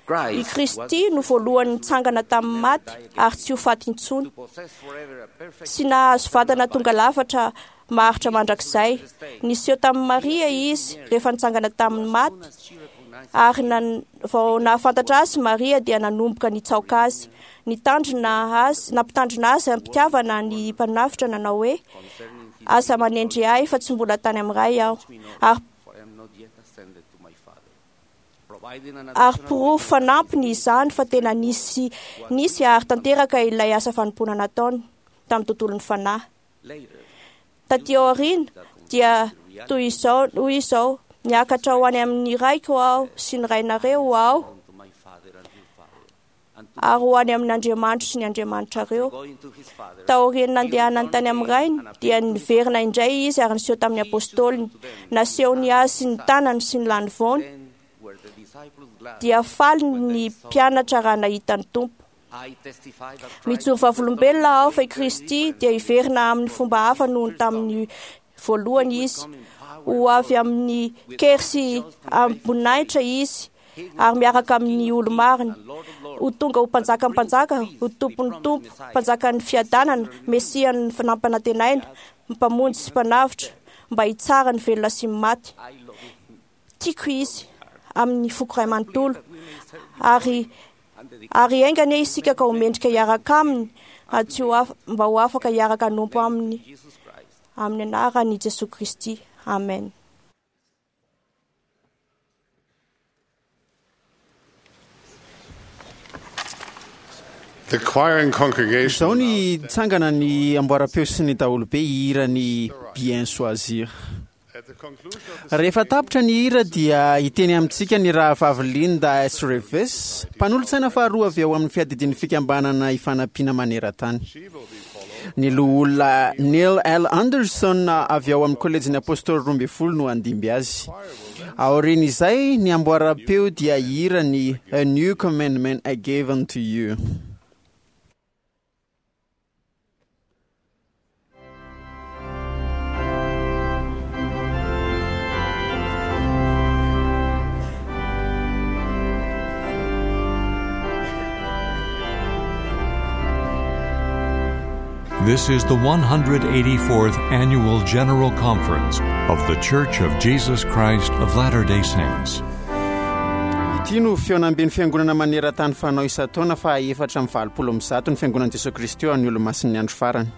I Kristy no voalohany nitsangana tamin'ny maty ary tsy ho faty intsony. Tsy nahazo vatana tonga lafatra maharitra mandrakizay. Niseho tamin'i Maria izy rehefa nitsangana tamin'ny maty ary vao nahafantatra azy Maria dia nanomboka nitsaoka azy. Nitandrina azy, nampitandrina azy am-pitiavana ny mpanavotra nanao hoe aza manendry ahy fa tsy mbola tany amin'ny Ray aho. Ary ary porofo fanampiny izany fa tena nisy nisy ary tanteraka ilay asa fanompoana nataony tamin'ny tontolon'ny fanahy. Taty aoriana dia toy izao hoy izao niakatra ho any amin'ny raiko aho sy ny rainareo aho ary ho any amin'Andriamanitro sy ny Andriamanitrareo. Taorian'ny nandehanany tany amin'ny rainy dia niverina indray izy ary niseho tamin'ny apôstôliny. Nasehony azy ny tanany sy ny lanivoany. Dia faly ny mpianatra raha nahita ny Tompo. Mijoro vavolombelona aho fa i Kristy dia hiverina amin'ny fomba hafa noho ny tamin'ny voalohany izy. Ho avy amin'ny kery sy amim-boninahitra izy ary miaraka amin'ny olo-marina. Ho tonga ho mpanjakan'ny mpanjaka, ho tompon'ny tompo, mpanjakan'ny fiadanana, mesian'ny nampanantenaina, mpamonjy sy mpanavotra, mba hitsara ny velona sy ny maty. Tiako izy amin'ny foko iray manontolo ary ary enga anie isika ka ho mendrika hiaraka aminy ary tsy ho mba ho afaka hiaraka hanompo aminy amin'ny anaran'i Jesoa Kristy. Amen.
The choir and congregation
Izao ny tsangana ny amboaram-peo sy ny daholobe hihira ny Bien choisir.
at the conclusion of the
Rehefa tapitra ny hira dia hiteny amintsika ny rahavavy Linda S. Reeves, mpanolotsaina faharoa avy ao amin'ny fiadidian'ny fikambanana ifanampiana maneran-tany. Ny loholona Neil L. Anderson avy ao amin'ny kolejin'ny Apôstôly 12 no handimby azy. Aorian'izay, ny amboaram-peo dia hihira ny A New Commandment I Gave Unto You.
This is the 184th Annual General Conference of The Church of Jesus Christ of Latter day Saints.
Ity no fihaonamben'ny fiangonana maneran-tany fanao isan-taona fa 184 ny fiangonan'i Jesoa Kristy eo amin'ny Olomasin'ny andro farany.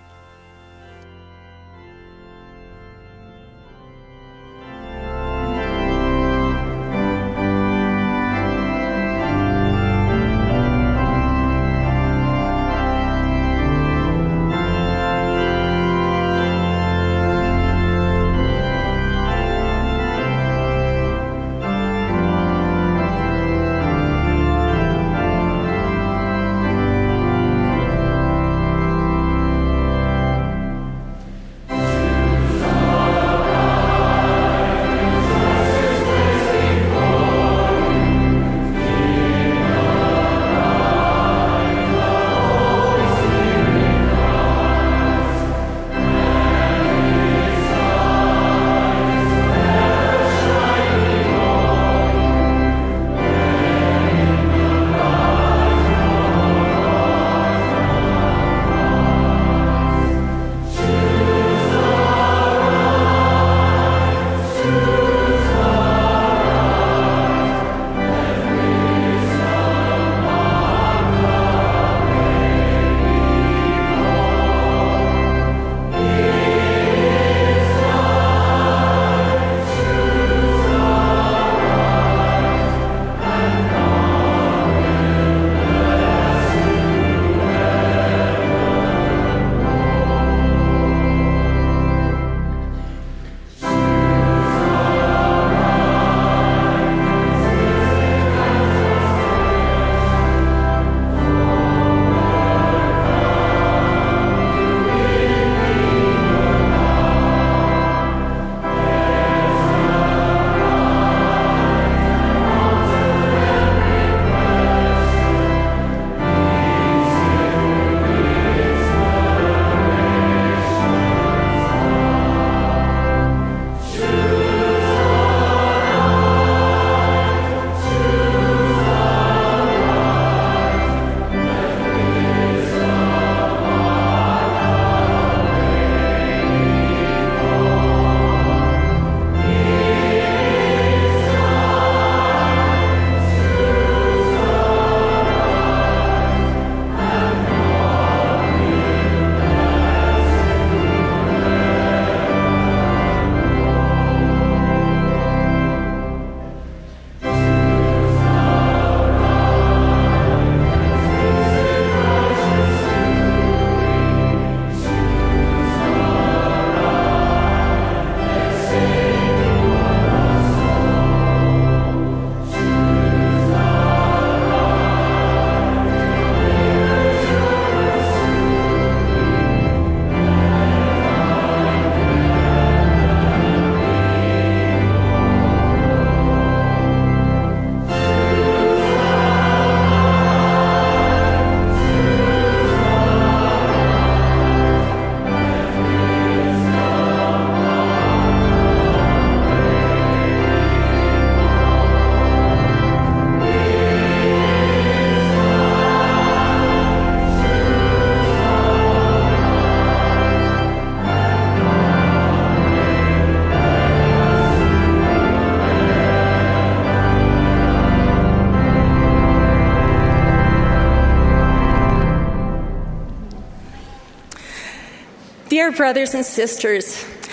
Dear brothers and sisters,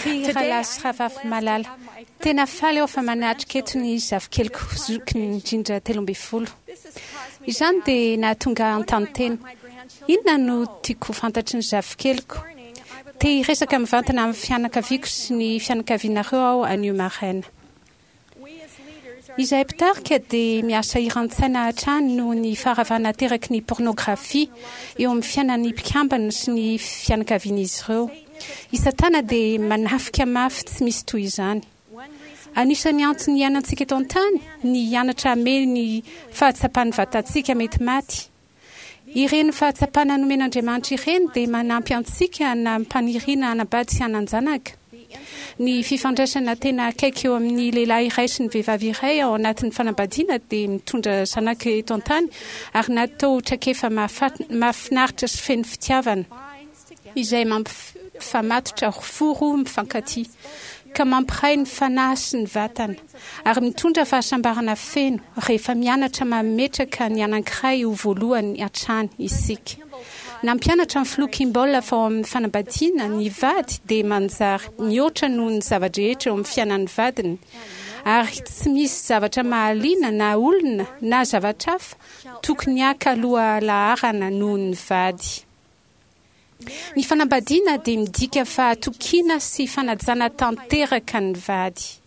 Ry rahalahy sy rahavavy malala, tena faly aho fa manatrika eto ny zafikeliko zokiny indrindra 13. Izany dia nahatonga ahy hanontany tena, Inona no tiako ho fantatry ny zafikeliko? Te hiresaka mivantana amin'ny fianakaviako sy ny fianakavianareo aho anio maraina. Izahay mpitarika dia miasa hiran-tsaina hatrany noho ny faharavana ateraky ny pôrnôgrafia eo amin'ny fiainan'ny mpikambana sy ny fianakavian'izy ireo. I Satana dia manafika mafy tsy misy toy izany. Anisan'ny antony iainantsika eto an-tany ny hianatra hamehy ny fahatsapan'ny vatantsika mety maty. Ireny fahatsapana nomen'Andriamanitra ireny dia manampy antsika hanam-paniriana hanambady sy hanan-janaka. Ny fifandraisana tena akaiky eo amin'ny lehilahy iray sy ny vehivavy iray ao anatin'ny fanambadiana dia mitondra zanaka eto an-tany ary natao ho traikefa mahafinaritra sy feno fitiavana, izay mampifamatotra fo roa mifankatia, ka mampiray ny fanahy sy ny vatana, ary mitondra fahasambarana feno rehefa mianatra mametraka ny anankiray ho voalohany hatrany isika. Nampianatra ny Filoha Kimball fa ao amin'ny fanambadiana, ny vady dia manjary mihoatra noho ny zava-drehetra eo amin'ny fiainan'ny vadiny, ary tsy misy zavatra mahaliana na olona na zavatra hafa tokony haka lohalaharana noho ny vady. Ny fanambadiana dia midika fahatokiana sy fanajana tanteraka ny vady.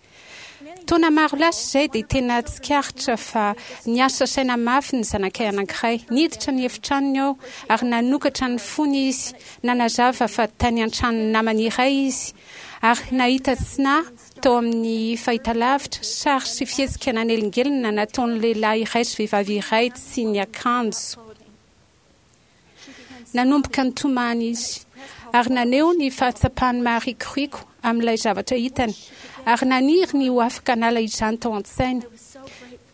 Taona maro lasa izay dia tena tsikaritra fa niasa saina mafy ny zanakay anankiray. Niditra ny efitranony aho ary nanokatra ny fony izy, nanazava fa tany an-tranon'ny namany iray izy ary nahita tsy nahy tao amin'ny fahitalavitra, sary sy fihetsika nanelingelina nataon'ny lehilahy iray sy vehivavy iray tsy niakanjo. Nanomboka nitomany izy, ary naneho ny fahatsapany maharikoriko amin'ilay zavatra hitany, ary naniry ny ho afaka hanala izany tao an-tsainy.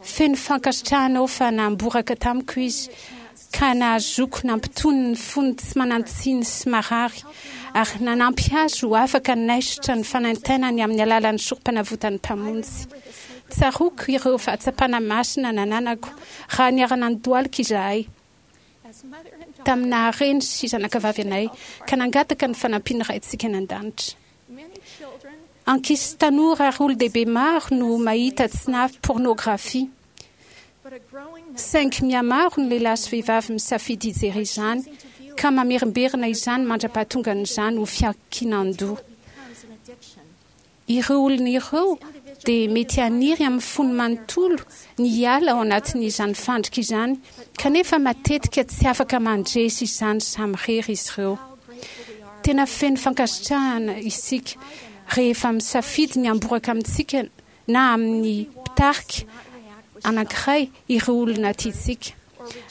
Feno fankasitrahana aho fa namboraka tamiko izy, ka nahazoako nampitony ny fony tsy manan-tsiny sy marary, ary nanampy azy ho afaka hanaisotra ny fanaintainany amin'ny alalan'ny Sorompanavotan'ny Mpamonjy. Tsaroako ireo fahatsapana masina nananako raha niara-nandohalika izahay. tamin'ny naha-reny sy zanakavavy anay ka nangataka ny fanampian'ny Raintsika any An-danitra. Ankizy sy tanora ary olon-dehibe maro no mahita tsy nahy pôrnôgrafia. Saingy mihamaro ny lehilahy sy vehivavy misafidy hijery izany ka mamerimberina izany mandra-pahatongan'izany ho fiankinan-doha. Ireo olona ireo dia mety haniry amin'ny fony manontolo ny hiala ao anatin'izany fandrika izany, kanefa matetika tsy afaka mandresy izany samirery izy ireo. Tena feno fankasitrahana isika rehefa misafidy ny hamboraka amintsika na amin'ny mpitarika anankiray ireo olona tiantsika.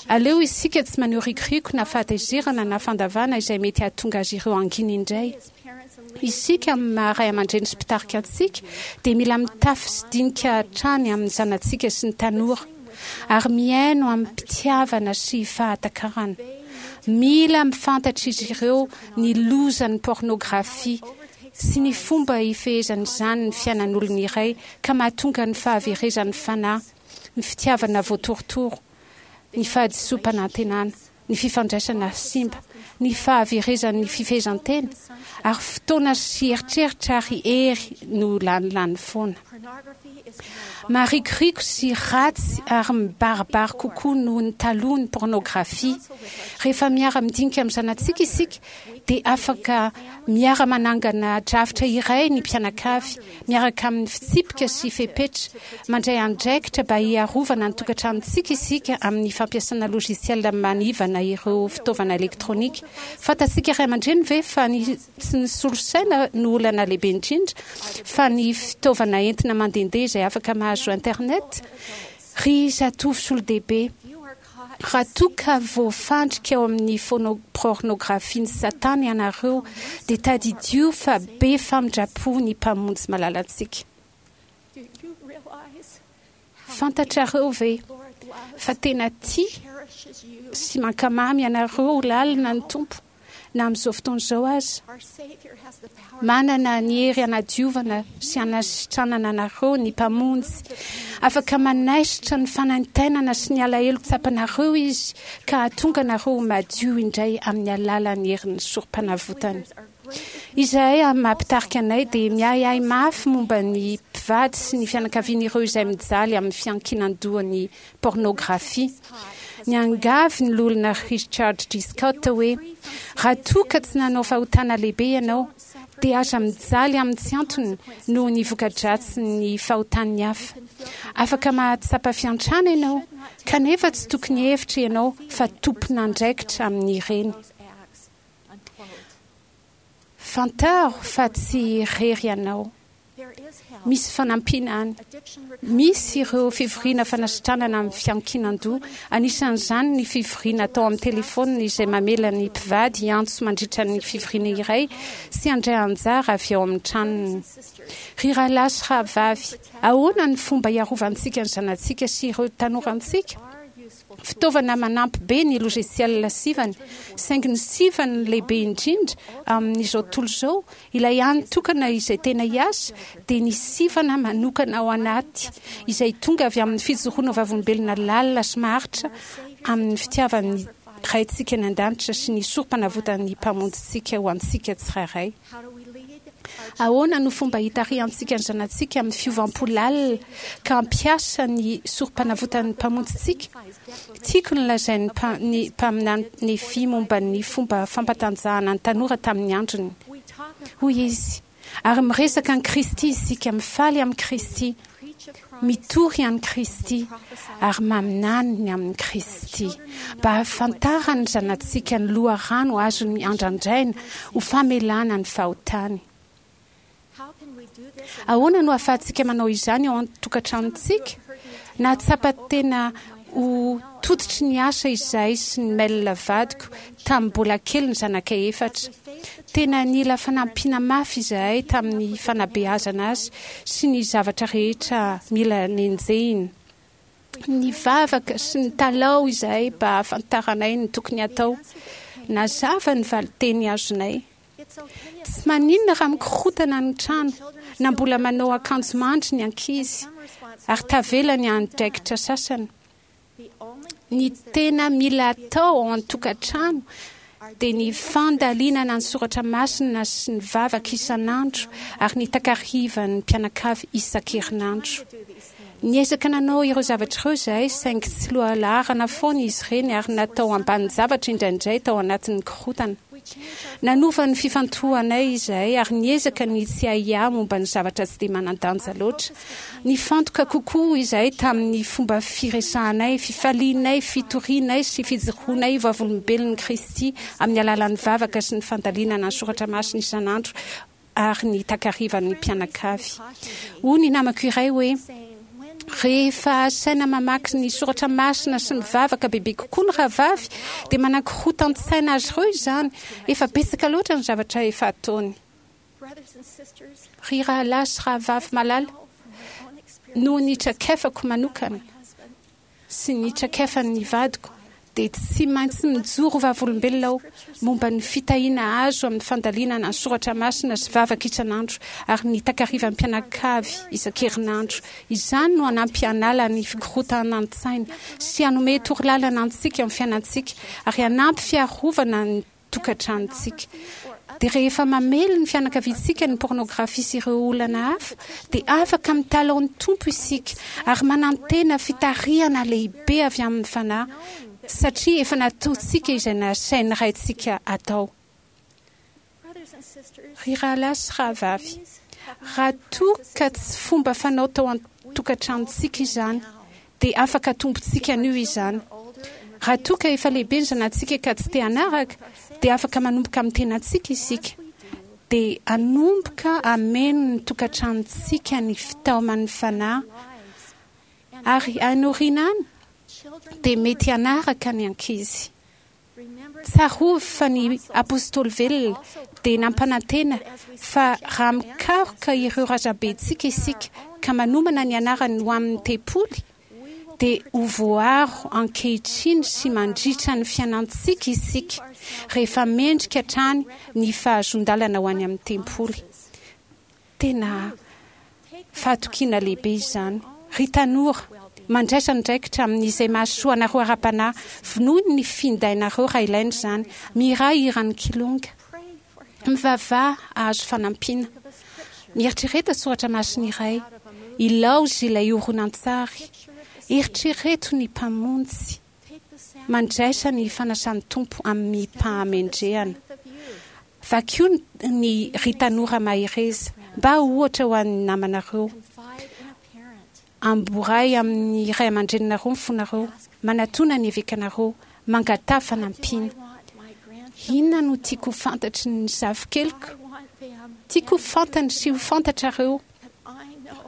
Aleo isika tsy maneho rikoriko na fahatezerana na fandavana izay mety hahatonga azy ireo hangina indray. Isika amin'ny maha ray aman-dreny sy mpitarika antsika dia mila mitafy sy dinika hatrany amin'ny zanatsika sy ny tanora ary mihaino amim-pitiavana sy fahatakarana. Mila mifantatra izy ireo ny lozan'ny pôrnôgrafia sy ny fomba ifehezan'izany ny fiainan'olona iray ka mahatonga ny fahaverezan'ny fanahy, ny fitiavana voatorotoro, ny fahadisoam-panantenana, ny fifandraisana simba, ny fahaverezan'ny fifehezan-tena, ary fotoana sy eritreritra ary hery no lanilany foana. Marikoriko sy ratsy ary mibaribary kokoa noho ny taloha ny pôrnôgrafia. Rehefa miara-midinika amin'ny zanatsika isika dia afaka miara-manangana drafitra iray ny mpianakavy, miaraka amin'ny fitsipika sy fepetra. Mandray andraikitra mba hiarovana ny tokantranontsika isika amin'ny fampiasana logiciel manivana ireo fitaovana elektronika. Fantatsika ray aman-dreny ve fa ny tsy ny solosaina no olana lehibe indrindra fa ny fitaovana entina mandehandeha izay afaka mahazo internet? Ry zatovo sy olon-dehibe, Raha toa ka voafandrika ao amin'ny pôrnôgrafian'i Satana ianareo, dia tadidio fa be famindram-po ny Mpamonjy malalantsika. Fantatrareo ve fa tena tia sy mankamamy anareo lalina ny Tompo? na amin'izao fotoana izao aza. Manana ny hery hanadiovana sy hanasitranana anareo ny Mpamonjy. Afaka manaisotra ny fanaintainana sy ny alahelo tsapanareo Izy ka hahatonga anareo ho madio indray amin'ny alalan'ny herin'ny Sorompanavotany. Izahay amin'ny maha mpitarika anay dia miahiahy mafy momba ny mpivady sy ny fianakavian'ireo izay mijaly amin'ny fiankinan-dohan'ny pôrnôgrafia. Niangavy ny Loholona Richard G. Scott hoe, Raha toa ka tsy nanao fahotana lehibe ianao, dia aza mijaly amin'ny tsy antony noho ny voka-dratsin'ny fahotan'ny hafa. Afaka mahatsapa fiantrana ianao, kanefa tsy tokony hihevitra ianao fa tompon'andraikitra amin'ireny. Fantaro fa tsy irery ianao. Misy fanampiana any. Misy ireo fivoriana fanasitranana amin'ny fiankinan-doha, anisan'izany ny fivoriana atao amin'ny telefaonina izay mamela ny mpivady hiantso mandritra ny fivoriana iray sy handray anjara avy ao amin'ny tranony. Ry rahalahy sy rahavavy, ahoana ny fomba hiarovantsika ny zanatsika sy ireo tanorantsika? Fitaovana manampy be ny logiciel sivana, saingy ny sivana lehibe indrindra amin'izao tontolo izao, ilay hany tokana izay tena hiasa, dia ny sivana manokana ao anaty, izay tonga avy amin'ny fijoroana vavolombelona lalina sy maharitra amin'ny fitiavan'ny Raintsika any An-danitra sy ny Sorompanavotan'ny Mpamonjintsika ho antsika tsirairay. Ahoana no fomba hitarihantsika ny zanatsika amin'ny fiovam-po lalina ka hampiasa ny Sorompanavotan'ny Mpamonjintsika? Tiako ny lazain'ny ny mpaminany Nefia momba ny fomba fampatanjahana ny tanora tamin'ny androny. Hoy izy, Ary miresaka an'i Kristy isika, mifaly amin'i Kristy, mitory an'i Kristy ary maminany ny amin'i Kristy, mba hahafantaran'ny zanatsika ny loharano azony andrandraina ho famelana ny fahotany. Ahoana no ahafahantsika manao izany ao an-tokantranontsika? Nahatsapa tena ho tototry ny asa izahay sy ny Mel vadiko tamin'ny mbola kely ny zanakay efatra. Tena nila fanampiana mafy izahay tamin'ny fanabeazana azy sy ny zavatra rehetra mila nenjehina. Nivavaka sy nitalaho izahay mba hahafantaranay ny tokony hatao. Nazava ny valinteny azonay. Tsy maninona raha mikorontana ny trano na mbola manao akanjo mandry ny ankizy ary tavela ny andraikitra sasany. Ny tena mila atao ao an-tokantrano dia ny fandalinana ny soratra masina sy ny vavaka isan'andro ary ny takarivan'ny mpianakavy isan-kerinandro. Niezaka nanao ireo zavatra ireo izahay saingy tsy lohalaharana foana izy ireny ary natao ambanin-javatra indraindray tao anatin'ny korontana. Nanova ny fifantohanay izahay ary niezaka ny tsy hiahiahy momba ny zavatra tsy dia manan-danja loatra. Nifantoka kokoa izahay tamin'ny fomba firesahanay, fifalianay, fitorianay sy fijoroanay vavolombelon'i Kristy amin'ny alalan'ny vavaka sy ny fandalinana ny soratra masina isan'andro ary ny takarivan'ny mpianakavy. Hoy ny namako iray hoe, Rehefa asaina mamaky ny soratra masina sy mivavaka bebe kokoa ny rahavavy, dia manakorotan-tsaina azy ireo izany. Efa betsaka loatra ny zavatra efa ataony. Ry rahalahy sy rahavavy malala, noho ny traikefako manokana, sy ny traikefan'ny vadiko dia tsy maintsy mijoro vavolombelona aho momba ny fitahiana azo amin'ny fandalinana ny soratra masina sy vavaka isan'andro ary ny takarivan'ny mpianakavy isan-kerinandro. Izany no hanampy hanala ny fikorontanan-tsaina sy hanome torolalana antsika amin'ny fiainantsika ary hanampy fiarovana ny tokantranontsika. Dia rehefa mamely ny fianakaviantsika ny pornografia sy ireo olana hafa, dia afaka mitalaho ny Tompo isika ary manantena fitarihana lehibe avy amin'ny Fanahy, satria efa nataontsika izay nasain'ny Raintsika atao. Ry rahalahy sy rahavavy, raha toa ka tsy fomba fanao tao an-tokantranontsika izany, dia afaka atombontsika anio izany. Raha toa ka efa lehibe ny zanatsika ka tsy te hanaraka, dia afaka manomboka amin'ny tenantsika isika. Dia hanomboka hameno ny tokantranontsika ny fitaoman'ny Fanahy, ary any aoriana any dia mety hanaraka ny ankizy. Tsarovy fa ny Apostoly velona dia nampanantena fa raha mikaroka ireo razambentsika isika ka manomana ny anarany ho amin'ny tempoly, dia ho voaro ankehitriny sy mandritra ny fiainantsika isika rehefa mendrika hatrany ny fahazoan-dalana ho any amin'ny tempoly. Tena fahatokiana lehibe izany. Ry tanora, mandraisa andraikitra amin'izay mahasoa anareo ara-panahy. Vonoy ny findainareo raha ilaina izany. Mihirà hiran'ny Kilonga. Mivavaha hahazo fanampiana. Mieritrereta soratra masina iray. Ilaozy ilay horonantsary. Eritrereto ny Mpamonjy. Mandraisa ny fanasan'ny Tompo amim-pahamendrehana. Vakio ny Ry Tanora Mahereza, mba ho ohatra ho an'ny namanareo. Amboray amin'ny ray aman-dreninareo ny fonareo. Manatòna ny evekanareo. Mangataha fanampiana. Inona no tiako ho fantatry ny zafikeliko? Tiako ho fantany sy ho fantatrareo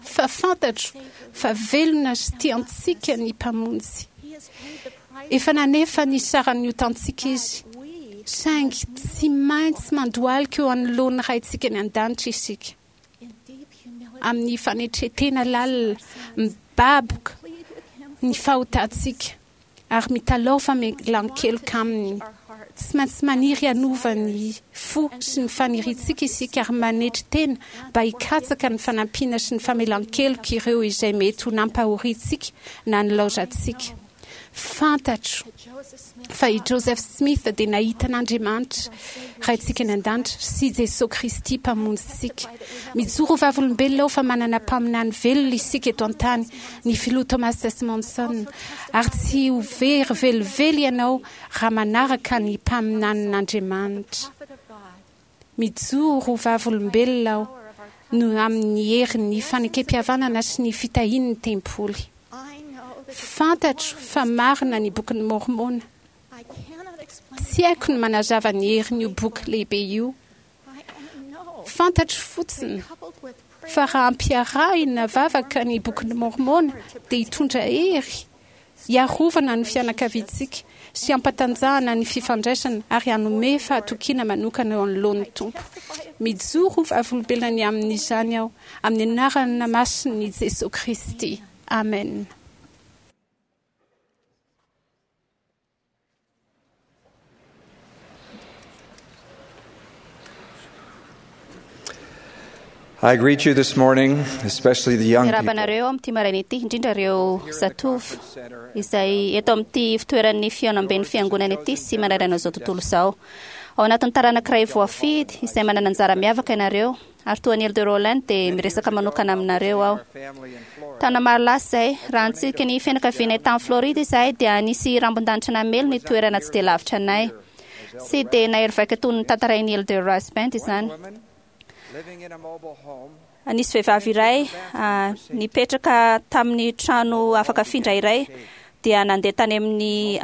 fa fantatro fa velona sy tia antsika ny Mpamonjy. Efa nanefa ny saran'ny otantsika Izy, saingy tsy maintsy mandohalika eo anoloan'ny Raintsika any An-danitra isika. Amin'ny fanetren-tena lalina, mibaboka ny fahotantsika ary mitalaho famelan-keloka Aminy. Tsy maintsy maniry hanova ny fo sy ny faniriantsika isika ary manetry tena mba hikatsaka ny fanampiana sy ny famelan-keloka ireo izay mety ho nampahoriantsika na nilaozantsika. Fantatro fa i Joseph Smith dia nahita an'Andriamanitra, Raintsika any An-danitra, sy Jesoa Kristy, Mpamonjintsika. Mijoro ho vavolombelona aho fa manana mpaminany velona isika eto an-tany, ny Filoha Thomas S. Monson, ary tsy ho very velively ianao raha manaraka ny mpaminanin'Andriamanitra. Mijoro ho vavolombelona aho noho amin'ny herin'ny fanekempihavanana sy ny fitahian'ny tempoly. Fantatro fa marina ny Bokin'i Môrmôna. Tsy haiko ny manazava ny herin'io boky lehibe io. Fantatro fotsiny fa raha ampiarahina vavaka ny Bokin'i Môrmôna dia hitondra hery hiarovana ny fianakaviantsika sy hampatanjahana ny fifandraisana ary hanome fahatokiana manokana eo anoloan'ny Tompo. Mijoro ho vavolombelona ny amin'izany aho, amin'ny anarana masin'i Jesoa Kristy. Amena.
I greet you this morning, especially the young
Miarahaba
people.
anareo amin'ity maraina ity, indrindra ireo zatovo izay eto amin'ity fitoeran'ny fihaonamben'ny fiangonana ity sy manerana izao tontolo izao. Ao anatin'ny taranak'iray voafidy izay manana anjara miavaka ianareo, ary toa an'i Elder Rowland dia miresaka manokana aminareo aho. Taona maro lasa izay, raha nitsidika ny fianakavianay tany Floride izahay dia nisy rambon-danitra namely ny toerana tsy dia lavitra anay. Tsy dia nahery vaika toy ny tantarain'i Elder Rasband izany. Nisy vehivavy iray nipetraka tamin'ny trano afaka afindra iray dia nandeha tany amin'ny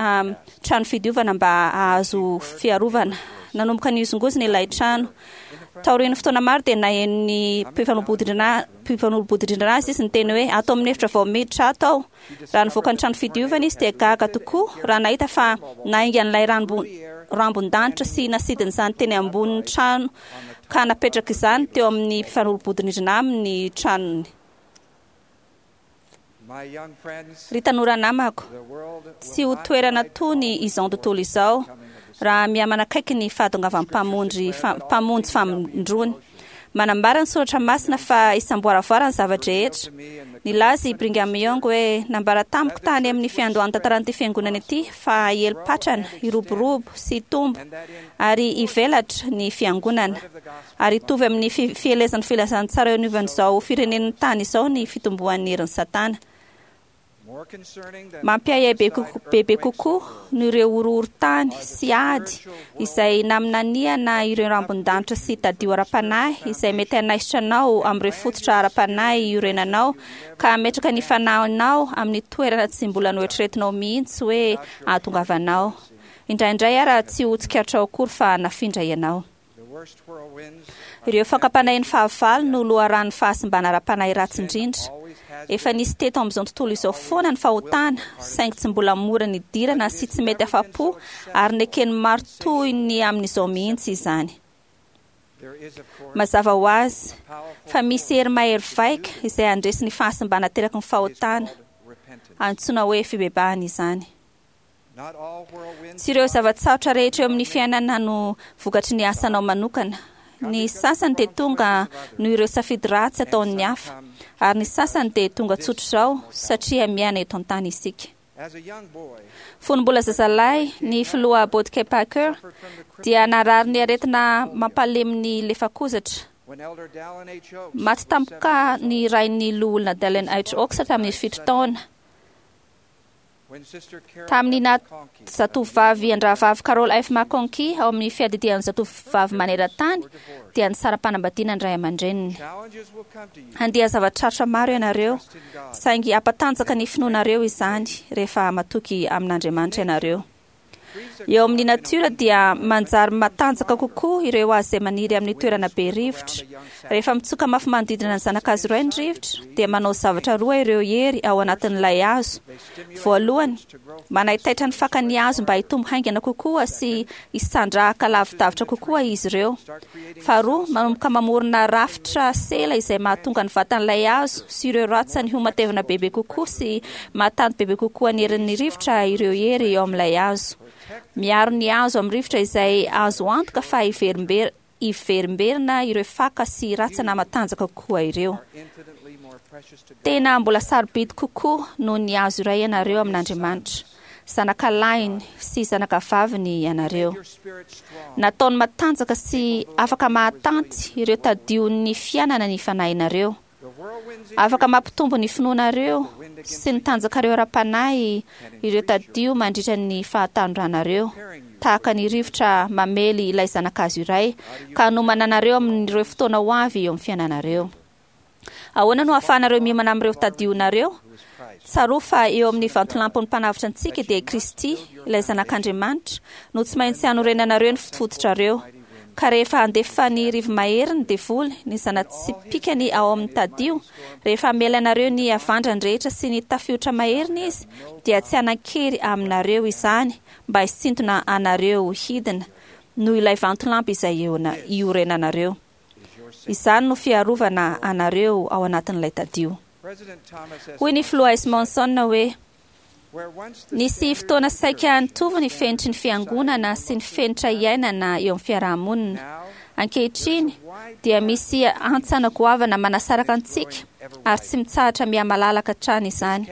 trano fidiovana mba hahazo fiarovana. Nanomboka nihozongozona ilay trano. Taorian'ny fotoana maro dia naheno ny mpifanolo-bodirindrina azy izy niteny hoe ato amin'ny efitra vao miditra ato aho. Raha nivoaka ny trano fidiovana izy dia gaga tokoa raha nahita fa naingan'ilay rambon-danitra sy nasidin'izany teny ambonin'ny trano ka napetraka izany teo amin'ny mpifanolo-bodirindrina aminy ny tranony. Ry tanora namako, tsy ho toerana tony izao tontolo izao raha mihamanakaiky ny fahatongavan'ny Mpamonjy Mpamonjy famindroany. Manambara ny soratra masina fa isamboaravoara ny zava-drehetra. Nilaza i Brigham Young hoe, Nambara tamiko tany amin'ny fiandohan'ny tantaran'ity fiangonana ity fa hiely patrana, hiroborobo sy hitombo ary hivelatra ny fiangonana. Ary hitovy amin'ny fielezan'ny filazantsara eo anivon'izao firenen'ny tany izao ny fitomboan'ny herin'i Satana. Mampiahiahy bebe kokoa noho ireo horohorontany sy ady izay naminaniana ireo rambon-danitra sy tadio ara-panahy izay mety hanaisotra anao amin'ireo fototra ara-panahy iorenanao ka hametraka ny fanahinao amin'ny toerana tsy mbola noeritreretinao mihitsy hoe hahatongavanao. Indraindray ara tsy ho tsikaritrao akory fa nafindra ianao. Ireo fakam-panahin'ny fahavalo no loharanon'ny fahasimbana ara-panahy ratsy indrindra. Efa nisy teto amin'izao tontolo izao foana ny fahotana, saingy tsy mbola mora nidirana sy tsy mety afa-po ary neken'ny maro toy ny amin'izao mihitsy izany. Mazava ho azy fa misy hery mahery vaika izay handresy ny fahasimbana ateraky ny fahotana. Antsoina hoe fibebahana izany. Tsy ireo zava-tsarotra rehetra eo amin'ny fiainana no vokatry ny asanao manokana. Ny sasany dia tonga noho ireo safidy ratsy ataon'ny hafa, ary ny sasany dia tonga tsotr'izao satria miaina eto an-tany isika. Fony mbola zazalahy ny filoha Boyd K. Packer dia narary ny aretina mampalemy ny lefakozatra. Maty tampoka ny rain'ny loholona Dallin H. Oaks tamin'ny 7 taona. Tamin'ny naha zatovovavy an-drahavavy Carol F. McConkie ao amin'ny fiadidian'ny zatovovavy maneran-tany dia nisara-panambadiana ny ray aman-dreniny. Handia zava-tsarotra maro ianareo, saingy hampatanjaka ny finoanareo izany rehefa matoky amin'Andriamanitra ianareo. Eo amin'ny natiora dia manjary matanjaka kokoa ireo hazo izay maniry amin'ny toerana be rivotra. Rehefa mitsoka mafy manodidina ny zana-kazo iray ny rivotra, dia manao zavatra roa ireo hery ao anatin'ilay hazo. Voalohany, manaitaitra ny fakan'ny hazo mba hitombo haingana kokoa sy hisandrahaka lavidavitra kokoa izy ireo. Faharoa, manomboka mamorona rafitra sela izay mahatonga ny vatan'ilay hazo sy ireo ratsany ho matevina bebe kokoa sy mahatanty bebe kokoa ny herin'ny rivotra ireo hery eo amin'ilay hazo. Miaro ny hazo amin'ny rivotra izay azo antoka fa hiverimberina ireo faka sy ratsana matanjaka kokoa ireo. Tena mbola sarobidy kokoa noho ny hazo iray ianareo amin'Andriamanitra. Zanakalahiny sy zanakavaviny ianareo. Nataony matanjaka sy afaka mahatanty ireo tadion'ny fiainana ny fanahinareo. Afaka mampitombo ny finoanareo sy ny tanjakareo ara-panahy ireo tadio mandritra ny fahatanoranareo, tahaka ny rivotra mamely ilay zanakazo iray ka hanomana anareo amin'ireo fotoana ho avy eo amin'ny fiainanareo. Ahoana no ahafahanareo miomana amin'ireo tadionareo? Tsarovy fa eo amin'ny vantolampon'ny Mpanavotra antsika dia Kristy, ilay Zanak'Andriamanitra, no tsy maintsy hanorenanareo ny fototrareo. Ka rehefa handefa ny rivo-mahery ny devoly, ny zana-tsipìkany ao amin'ny tadio, rehefa hamela anareo ny havandrany rehetra sy ny tafiotra maheriny izy, dia tsy hanan-kery aminareo izany mba hisintona anareo hidina, noho ilay vantolampy izay iorenanareo. Izany no fiarovana anareo ao anatin'ilay tadio. Hoy ny filoha S. Monson hoe, Nisy fotoana saika nitovy ny fenitry ny fiangonana sy ny fenitra iainana eo amin'ny fiarahamonina. Ankehitriny dia misy hantsana goavana manasaraka antsika ary tsy mitsahatra mihamalalaka hatrany izany.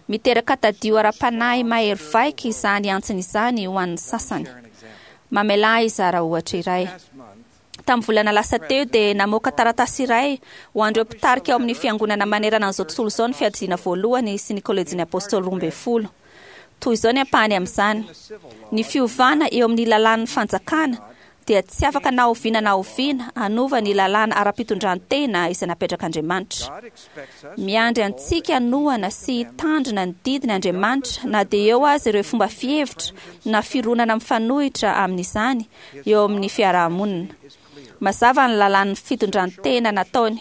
Miteraka tadio ara-panahy mahery vaika izany hantsana izany ho an'ny sasany. Mamelà ahy hizara ohatra iray. Tamin'ny volana lasa teo dia namoaka taratasy iray ho an'ireo mpitarika ao amin'ny fiangonana manerana an'izao tontolo izao ny Fiadidiana Voalohany sy ny Kolejin'ny Apôstôly 12. Toy izao ny ampahany amin'izany, Ny fiovana eo amin'ny lalàn'ny fanjakana dia tsy afaka na oviana na oviana hanova ny lalàna ara-pitondran-tena izay napetrak'Andriamanitra. Miandry antsika hanohana sy hitandrina ny didiny Andriamanitra na dia eo aza ireo fomba fihevitra na fironana mifanohitra amin'izany eo amin'ny fiaraha-monina. Mazava ny lalàn'ny fitondran-tena nataony.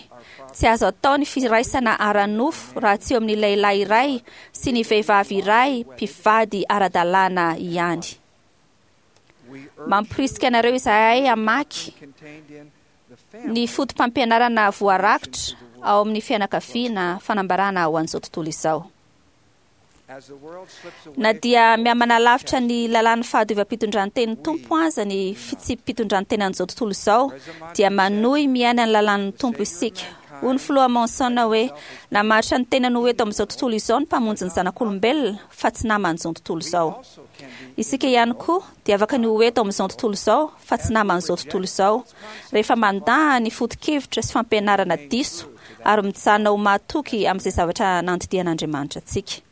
Tsy azo atao ny firaisana ara-nofo raha tsy eo amin'ny lehilahy iray sy ny vehivavy iray mpivady ara-dalàna ihany. Mamporisika anareo izahay hamaky ny foto-pampianarana voarakitra ao amin'ny fianakaviana fanambarana ho an'izao tontolo izao. Na dia mihamanalavitra ny lalàn'ny fahadiovam-pitondran-tenin'ny Tompo aza ny fitsipi-pitondran-tenan'izao tontolo izao, dia manohy miaina ny lalàn'ny Tompo isika. Hoy ny filoha Monson hoe, Namaritra ny tenany ho eto amin'izao tontolo izao ny Mpamonjy ny zanak'olombelona, fa tsy naman'izao tontolo izao. Isika ihany koa dia afaka ny ho eto amin'izao tontolo izao, fa tsy naman'izao tontolo izao, rehefa mandà ny foto-kevitra sy fampianarana diso ary mijanona ho mahatoky amin'izay zavatra nandidian'Andriamanitra antsika.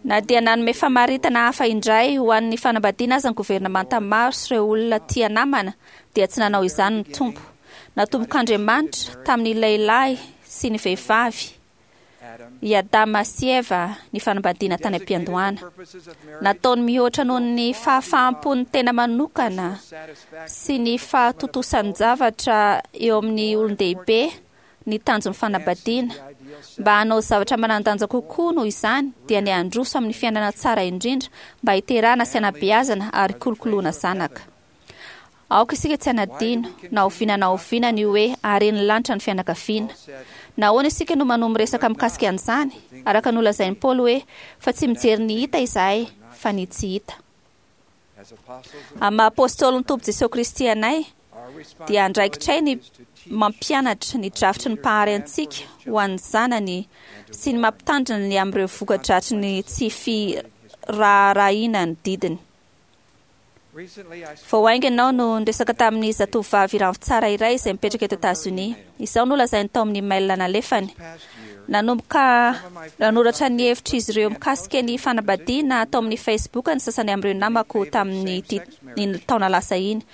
Na dia nanome famaritana hafa indray ho an'ny fanambadiana aza ny governemanta maro sy ireo olona tia namana, dia tsy nanao izany ny Tompo. Natombok'Andriamanitra tamin'ny lehilahy sy ny vehivavy, i Adama sy Eva, ny fanambadiana tany am-piandohana. Nataony mihoatra noho ny fahafaham-pon'ny tena manokana sy ny fahatontosan-javatra eo amin'ny olon-dehibe ny tanjon'ny fanambadiana. Mba hanao zavatra manan-danja kokoa noho izany dia ny handroso amin'ny fiainana tsara indrindra mba hiterahana sy hanabeazana ary hikolokoloana zanaka. Aoka isika tsy hanadino na oviana na oviana ny hoe haren'ny lanitra ny fianakaviana. Nahoana isika no manohy miresaka mikasika an'izany, araka ny nolazain'i Paoly hoe, Fa tsy mijery ny hita izahay, fa ny tsy hita. Amin'ny maha-apôstôlin'ny Tompo Jesoa Kristy anay, dia andraikitray ny mampianatra ny drafitry ny Mpahary antsika ho an'ny zanany sy ny mampitandrina ny amin'ireo voka-dratry ny tsy firaharahiana ny didiny. Vao haingana aho no niresaka tamin'ny zatovovavy ravintsara iray izay mipetraka eto Etazonia. Izao no lazainy tao amin'ny mail nalefany. Nanomboka nanoratra ny hevitr'izy ireo mikasika ny fanambadiana tao amin'ny Facebook ny sasany amin'ireo namako tamin'ny iny taona lasa iny.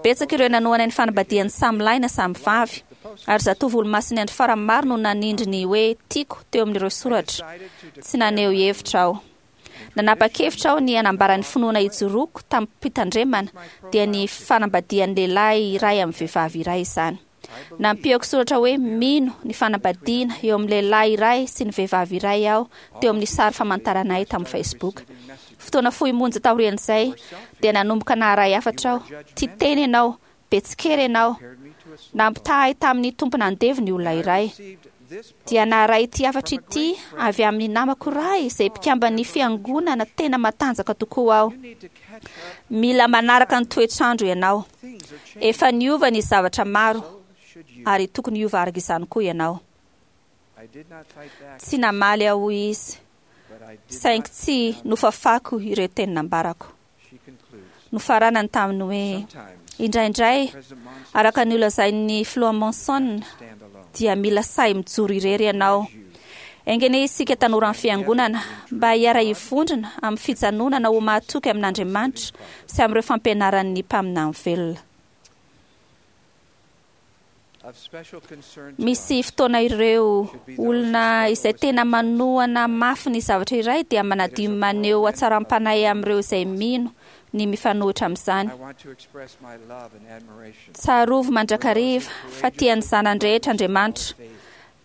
Betsaka ireo nanohana ny fanambadian'ny samy lahy na samy vavy, ary zatovo olomasin'ny andro farany maro no nanindry ny hoe tiako teo amin'ireo soratra. Tsy naneho hevitra aho. Nanapa-kevitra aho ny hanambara ny finoana ijoroako tamim-pitandremana, dia ny fanambadian'ny lehilahy iray amin'ny vehivavy iray izany. Nampiako soratra hoe mino ny fanambadiana eo amin'ny lehilahy iray sy ny vehivavy iray aho teo amin'ny sary famantarana ahy tamin'ny Facebook. Fotoana fohy monja taorian'izay dia nanomboka naharay hafatra aho, Tia tena ianao, be tsikera ianao. Nampitaha ahy tamin'ny tompon'andevo ny olona iray. Dia naharay ity hafatra ity avy amin'ny namako iray izay mpikamban'ny fiangonana tena matanjaka tokoa aho. Mila manaraka ny toetr'andro ianao. Efa niova ny zavatra maro, ary tokony hiova araka izany koa ianao. Tsy namaly aho hoy izy, saingy tsy nofafako ireo teny nambarako. Nofaranany tamin'ny hoe, Indraindray, araka ny nolazain'ny Filoha Monson, dia mila sahy mijoro irery ianao. Enga anie isika tanoran'ny Fiangonana mba hiara-hivondrona amin'ny fijanonana ho mahatoky amin'Andriamanitra sy amin'ireo fampianaran'ny mpaminany velona. Misy fotoana ireo olona izay tena manohana mafy ny zavatra iray dia manadio maneho hatsaram-panahy amin'ireo izay mino ny mifanohitra amin'izany. Tsarovy mandrakariva fa tia ny zanany rehetra Andriamanitra.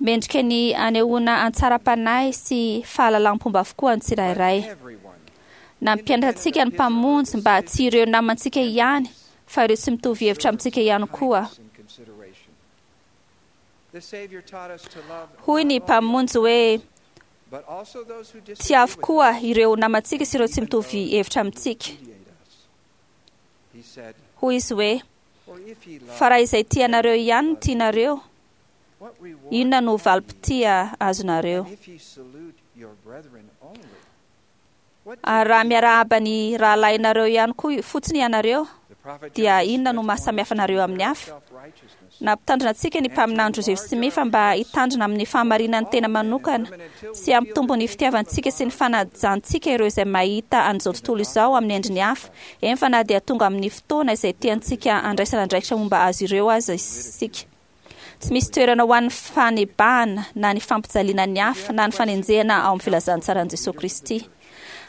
Mendrika ny anehoana antsaram-panahy sy fahalalam-pomba avokoa ny tsirairay. Nampianatra antsika ny Mpamonjy mba tsy ireo namantsika ihany fa ireo tsy mitovy hevitra amintsika ihany koa. Hoy ny Mpamonjy hoe, Tiavo koa ireo namantsika sy ireo tsy mitovy hevitra amintsika. Hoy izy hoe, Fa raha izay tia anareo ihany no tianareo, inona no valim-pitia azonareo? Ary raha miarahaba ny rahalahinareo ihany koa fotsiny ianareo, dia inona no maha samihafa anareo amin'ny hafa? Nampitandrina antsika ny mpaminany Joseph Smith mba hitandrina amin'ny fahamarinan'ny tena manokana sy hampitombo ny fitiavantsika sy ny fanajantsika ireo izay mahita an'izao tontolo izao amin'ny endriny hafa, eny fa na dia tonga amin'ny fotoana izay tiantsika handraisana andraikitra momba azy ireo aza isika. Tsy misy toerana ho an'ny fanebahana na ny fampijaliana ny hafa na ny fanenjehana ao amin'ny filazantsaran'i Jesoa Kristy.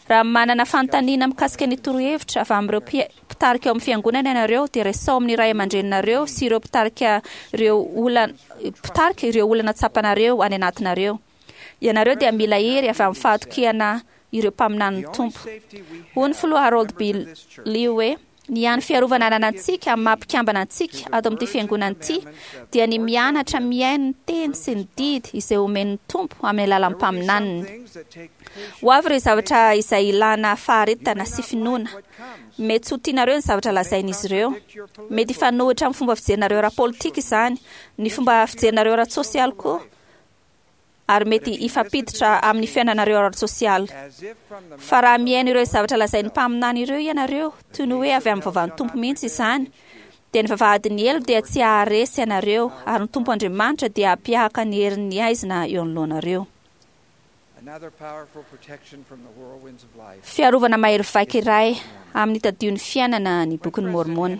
Raha manana fanontaniana mikasika ny torohevitra avy amin'ireo mpitarika ao amin'ny fiangonana ianareo dia resaho amin'ny ray aman-dreninareo sy ireo mpitarika ireo olana mpitarika ireo olana tsapanareo any anatinareo. Ianareo dia mila hery avy amin'ny fahatokiana ireo mpaminanin'ny Tompo. Hoy ny Filoha Harold B. Lee hoe, Ny hany fiarovana ananantsika amin'ny maha mpikambana antsika ato amin'ity fiangonana ity dia ny mianatra mihaino ny teny sy ny didy izay omen'ny Tompo amin'ny alalan'ny mpaminaniny. Ho avy ireo zavatra izay ilana faharetana sy finoana. Mety tsy ho tianareo ny zavatra lazain'izy ireo. Mety hifanohitra amin'ny fomba fijerinareo ara-politika izany, ny fomba fijerinareo ara-tsosialy koa. ary mety hifampiditra amin'ny fiainanareo ara-tsosialy. Fa raha mihaino ireo zavatra lazain'ny mpaminany ireo ianareo, toy ny hoe avy amin'ny vavan'ny Tompo mihitsy izany, dia ny vavahadin'ny helo dia tsy haharesy anareo, ary ny Tompo Andriamanitra dia hampiahaka ny herin'ny haizina eo anoloanareo. Fiarovana mahery vaika iray amin'ny tadion'ny fiainana ny Bokin'i Môrmôna.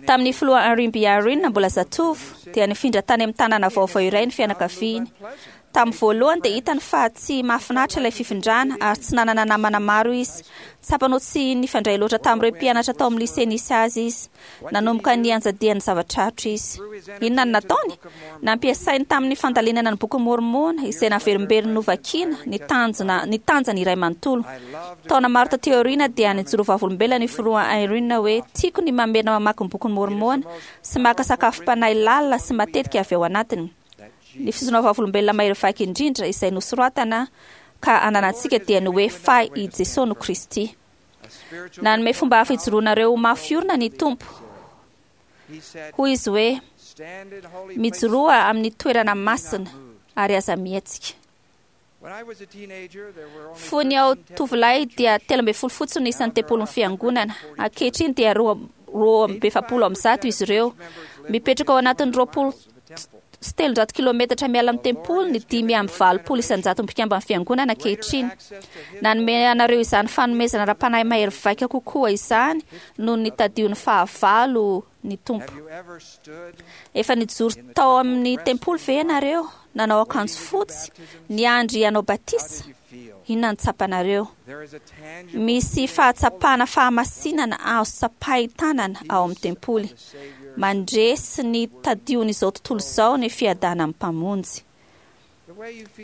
Tamin'ny filoha Henry B. Eyring mbola zatovo, dia nifindra tany amin'ny tanàna vaovao iray ny fianakaviany. Tamin'ny voalohany dia hitany fa tsy mahafinaritra ilay fifindrana ary tsy nanana namana maro izy. Tsapany ho tsy nifandray loatra tamin'ireo mpianatra tao amin'ny lycée nisy azy izy. Nanomboka nianjadian'ny zava-tsarotra izy. Inona no nataony? Nampiasainy tamin'ny fandalinana ny Bokin'i Môrmôna, izay naverimberiny novakina, ny tanjona, ny tanjany iray manontolo. Taona maro tatỳ aoriana dia nijoro vavolombelona ny Filoha Eyring hoe, Tiako ny mamerina mamaky ny Bokin'i Môrmôna sy maka sakafom-panahy lalina sy matetika avy ao anatiny. Ny fijoroana vavolombelona mahery vaika indrindra izay nosoratana ka ananantsika dia ny hoe fa i Jesoa no Kristy. Nanome fomba hafa hijoroanareo ho mafy orina ny Tompo. Hoy izy hoe, Mijoroa amin'ny toerana masina ary aza mihetsika. Fony aho tovolahy dia 13 fotsiny no isan'ny tempolin'ny fiangonana. Ankehitriny dia 142 izy ireo. Mipetraka ao anatin'ny 320 kilometatra miala amin'ny tempoly ny 85% mpikamban'ny fiangonana ankehitriny. Nanome anareo izany fanomezana ara-panahy mahery vaika kokoa izany noho ny tadion'ny fahavalo ny Tompo. Efa nijoro tao amin'ny tempoly ve ianareo, nanao akanjo fotsy, niandry hanao batisa? Inona no tsapanareo? Misy fahatsapana fahamasinana azo tsapain-tanana ao amin'ny tempoly. Mandresy ny tadion'izao tontolo izao ny fiadanan'ny Mpamonjy.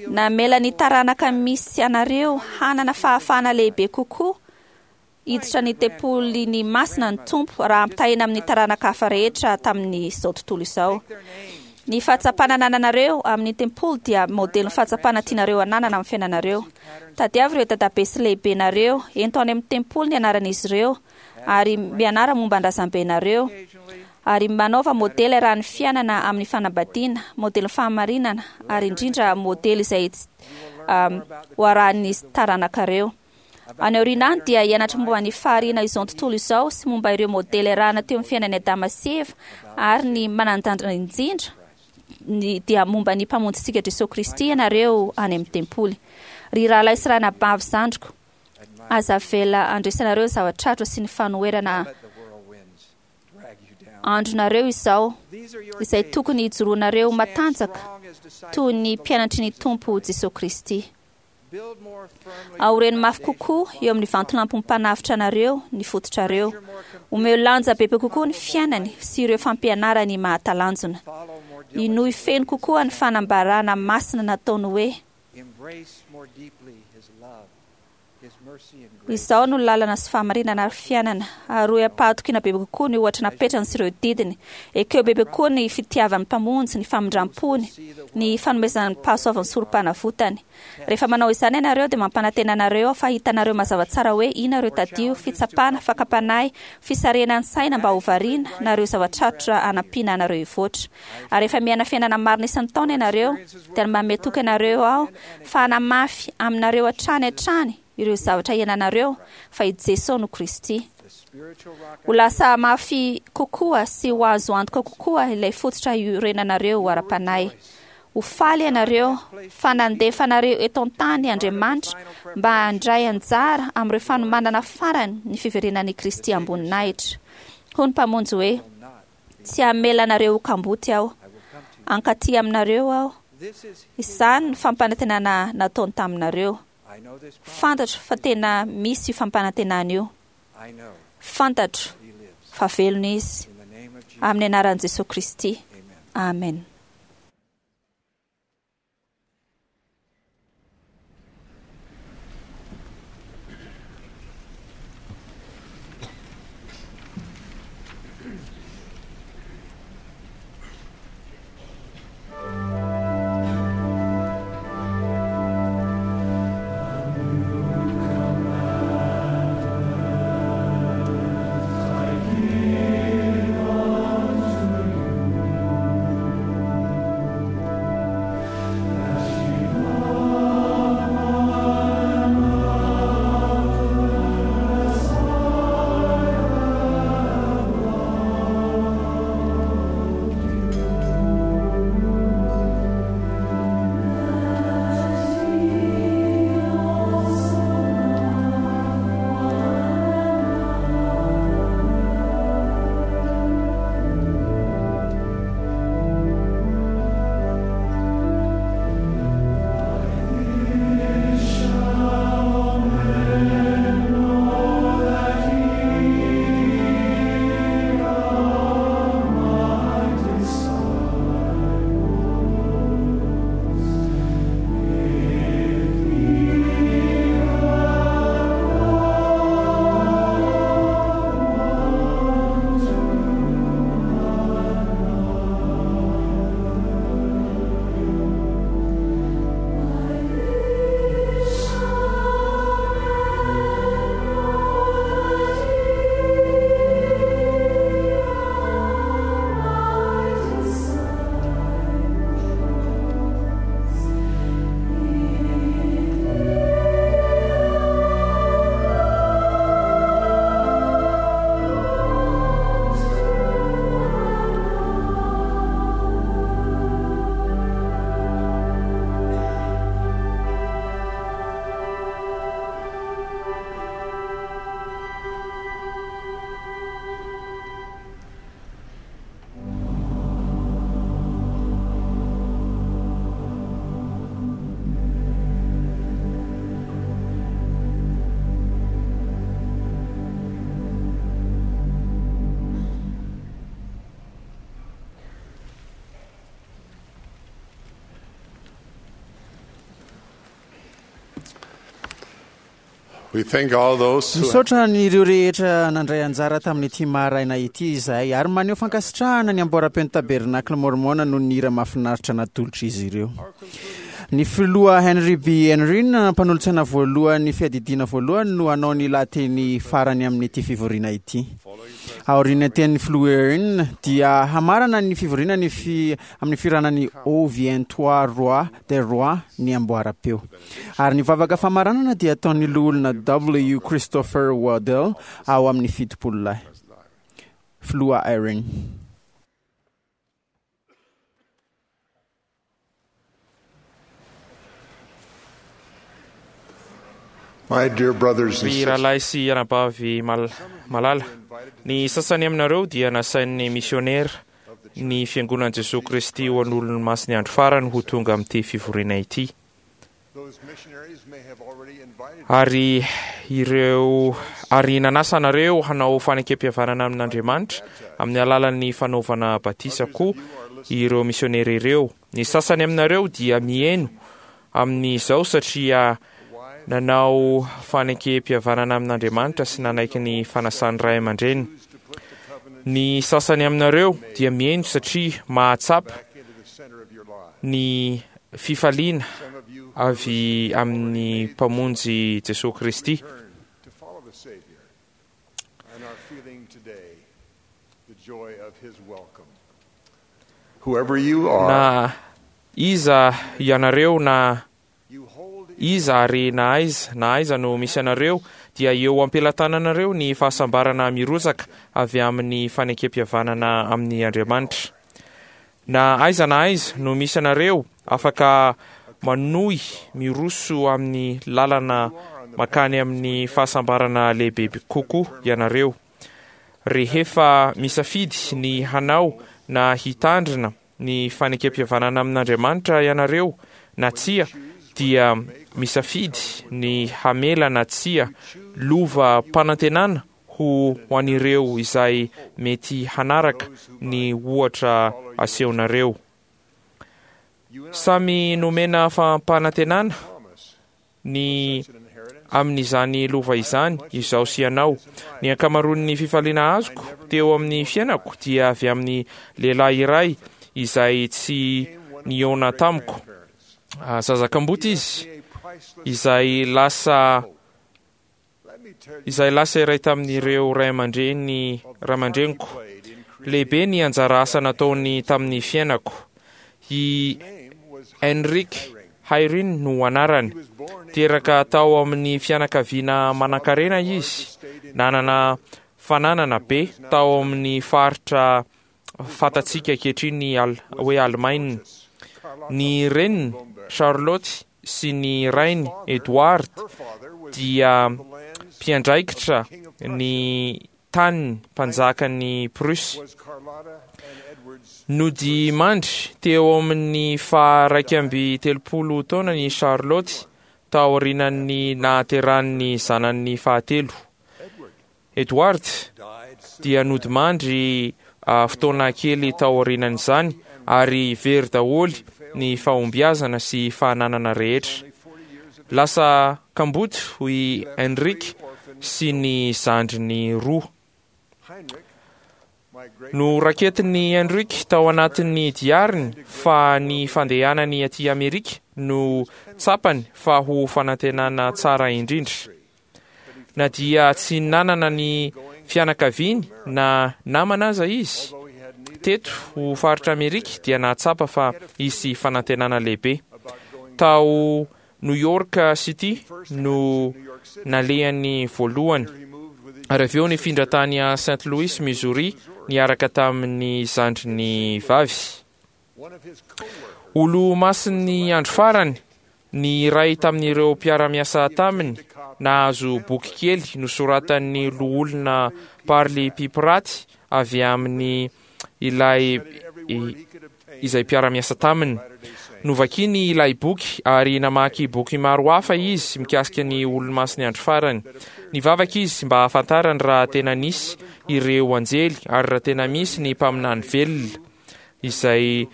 Namela ny taranaka misy anareo hanana fahafahana lehibe kokoa hiditra ny tempoliny masina ny Tompo raha ampitahaina amin'ny taranaka hafa rehetra tamin'izao tontolo izao. Ny fahatsapana anananareo amin'ny tempoly dia modelin'ny fahatsapana tianareo hananana amin'ny fiainanareo. Tadiavo ireo dadabe sy lehibenareo, ento any amin'ny tempoly ny anaran'izy ireo, ary mianara momba ny razambenareo, ary manaova modely arahan'ny fiainana amin'ny fanambadiana, modelin'ny fahamarinana, ary indrindra modely izay ho arahan'ny taranakareo. Any aoriana any dia hianatra momba ny fahariana izao tontolo izao sy momba ireo modely arahana teo amin'ny fiainan'i Adama sy Eva ary ny manan-danja indrindra ny dia momba ny Mpamonjintsika Jesoa Kristy ianareo any amin'ny tempoly. Ry rahalahy sy ranabavy zandriko, aza avela handresanareo ny zava-tsarotra sy ny fanoherana andronareo izao, izay tokony hijoroanareo matanjaka toy ny mpianatry ny Tompo Jesoa Kristy. Aoreno mafy kokoa eo amin'ny vantolampin'ny mpanavotra anareo ny fototrareo. Omeo lanja bebe kokoa ny fiainany sy ireo fampianarany mahatalanjona. Inoy feno kokoa ny fanambarana masina nataony hoe, Izao no lalana sy fahamarinana ary fiainana. Aroy am-pahatokiana bebe kokoa ny ohatra napetrany sy ireo didiny. Ekeo bebe kokoa ny fitiavan'ny Mpamonjy, ny famindram-pony, ny fanomezany pahasoavan'ny sorom-panavotany. Rehefa manao izany ianareo dia mampanantena anareo aho fa hitanareo mazava tsara hoe inona ireo tadio, fitsapana, fakam-panahy, fisarihana ny saina mba ho variana, na ireo zava-tsarotra hanampiana anareo hivoatra. Ary rehefa miaina fiainana marina isan-taona ianareo, dia manome toky anareo aho fa hanamafy aminareo hatrany hatrany ireo zavatra iainanareo fa i Jesoa no Kristy. Ho lasa mafy kokoa sy ho azo antoka kokoa ilay fototra iorenanareo ara-panahy. Ho faly ianareo fa nandefa anareo eto an-tany Andriamanitra mba handray anjara amin'ireo fanomanana farany ny fiverenan'i Kristy am-boninahitra. Hoy ny Mpamonjy hoe, Tsy hamela anareo ho kamboty Aho. Hankaty aminareo Aho. Izany no fampanantenana nataony taminareo. Fantatro fa tena misy io fampanantenana io. Fantatro fa velona Izy. Amin'ny anaran'i Jesoa Kristy. Amen.
We thank all those who have
Misaotra an'ireo rehetra nandray anjara tamin'ity maraina ity izahay ary maneho fankasitrahana ny amboaram-peon'ny Tabernakla Mormona noho ny hira mahafinaritra natolotr'izy ireo. Ny filoha Henry B. Eyring, mpanolotsaina voalohan'ny fiadidiana voalohany no hanao ny lahateny farany amin'ity fivoriana ity. Aorian'ny tenin'ny filoha Eyring dia hamarana ny fivoriana ny fi, amin'ny fihirana ny Ô viens toi roi des rois ny amboaram-peo. Ary ny vavaka famaranana dia ataon'ny loholona W. Christopher Waddell ao amin'ny Fitopololahy. Filoha Eyring.
My dear brothers and
Ry
sisters,
rahalahy sy anabavy mal- malala, ny sasany aminareo dia nasain'ny misionera ny Fiangonan'i Jesoa Kristy ho an'olon'ny Masin'ny Andro Farany ho tonga amin'ity fivoriana ity.
those missionaries may have already invited
Ary ireo ary nanasa anareo hanao fanekempihavanana amin'Andriamanitra amin'ny alalan'ny fanaovana batisa koa ireo misionera ireo. Ny sasany aminareo dia miheno amin'izao satria nanao fanekempihavanana amin'Andriamanitra sy nanaiky ny fanasan'ny ray aman-dreny. Ny sasany aminareo dia miheno satria mahatsapa ny fifaliana avy amin'ny Mpamonjy Jesoa Kristy.
to follow the Savior and are feeling today the joy of his welcome. Whoever you are,
Na iza ianareo na iza ary na aiza na aiza no misy anareo dia eo am-pelatananareo ny fahasambarana mirotsaka avy amin'ny fanekempihavanana amin'ny Andriamanitra. Na aiza na aiza no misy anareo, afaka manohy miroso amin'ny lalana mankany amin'ny fahasambarana lehibe kokoa ianareo. Rehefa misafidy ny hanao na hitandrina ny fanekempihavanana amin'Andriamanitra ianareo na tsia, dia misafidy ny hamela na tsia lova-panantenana ho an'ireo izay mety hanaraka ny ohatra asehonareo. Samy nomena fampanantenana ny amin'izany lova izany izaho sy ianao. Ny ankamaroan'ny fifaliana azoko teo amin'ny fiainako dia avy amin'ny lehilahy iray izay tsy nihaona tamiko. Zaza kamboty izy, izay lasa izay lasa iray tamin'ireo ray aman-dreny ray aman-dreniko. Lehibe ny anjara asa nataony tamin'ny fiainako. I Henrik Hayrin no anarany. Teraka tao amin'ny fianakaviana manankarena izy, nanana fananana be tao amin'ny faritra fantatsika ankehitriny hoe Alemaina. Ny reniny, Charlotte, sy ny rainy, Edward, dia mpiandraikitra ny taniny mpanjakan'i Prusse. Nodimandry teo amin'ny faha-31 taonany i Charlotte taorian'ny nahaterahan'ny zanany fahatelo. Edward dia nodimandry fotoana kely taorianan'izany ary very daholo ny fahombiazana sy fananana rehetra. Lasa kamboty i Heinrich sy ny zandriny roa. Noraketin'i Heinrich tao anatin'ny diariny fa ny fandehanany aty Amerika no tsapany fa ho fanantenana tsara indrindra. Na dia tsy nanana ny fianakaviany na namana aza izy teto ho faritra Amerika dia nahatsapa fa hisy fanantenana lehibe. Tao New York City no nalehany voalohany ary avy eo nifindra tany Saint Louis, Missouri niaraka tamin'ny zandriny vavy. Olomasin'ny andro farany ny iray tamin'ireo mpiara-miasa taminy nahazo boky kely nosoratan'ny loholona Parley P. Pratt avy amin'ny ilay izay mpiara-miasa taminy. Novakiny ilay boky ary namaky boky maro hafa izy mikasika ny Olomasin'ny Andro Farany. Nivavaka izy mba hahafantarany raha tena nisy ireo anjely ary raha tena misy ny mpaminany velona izay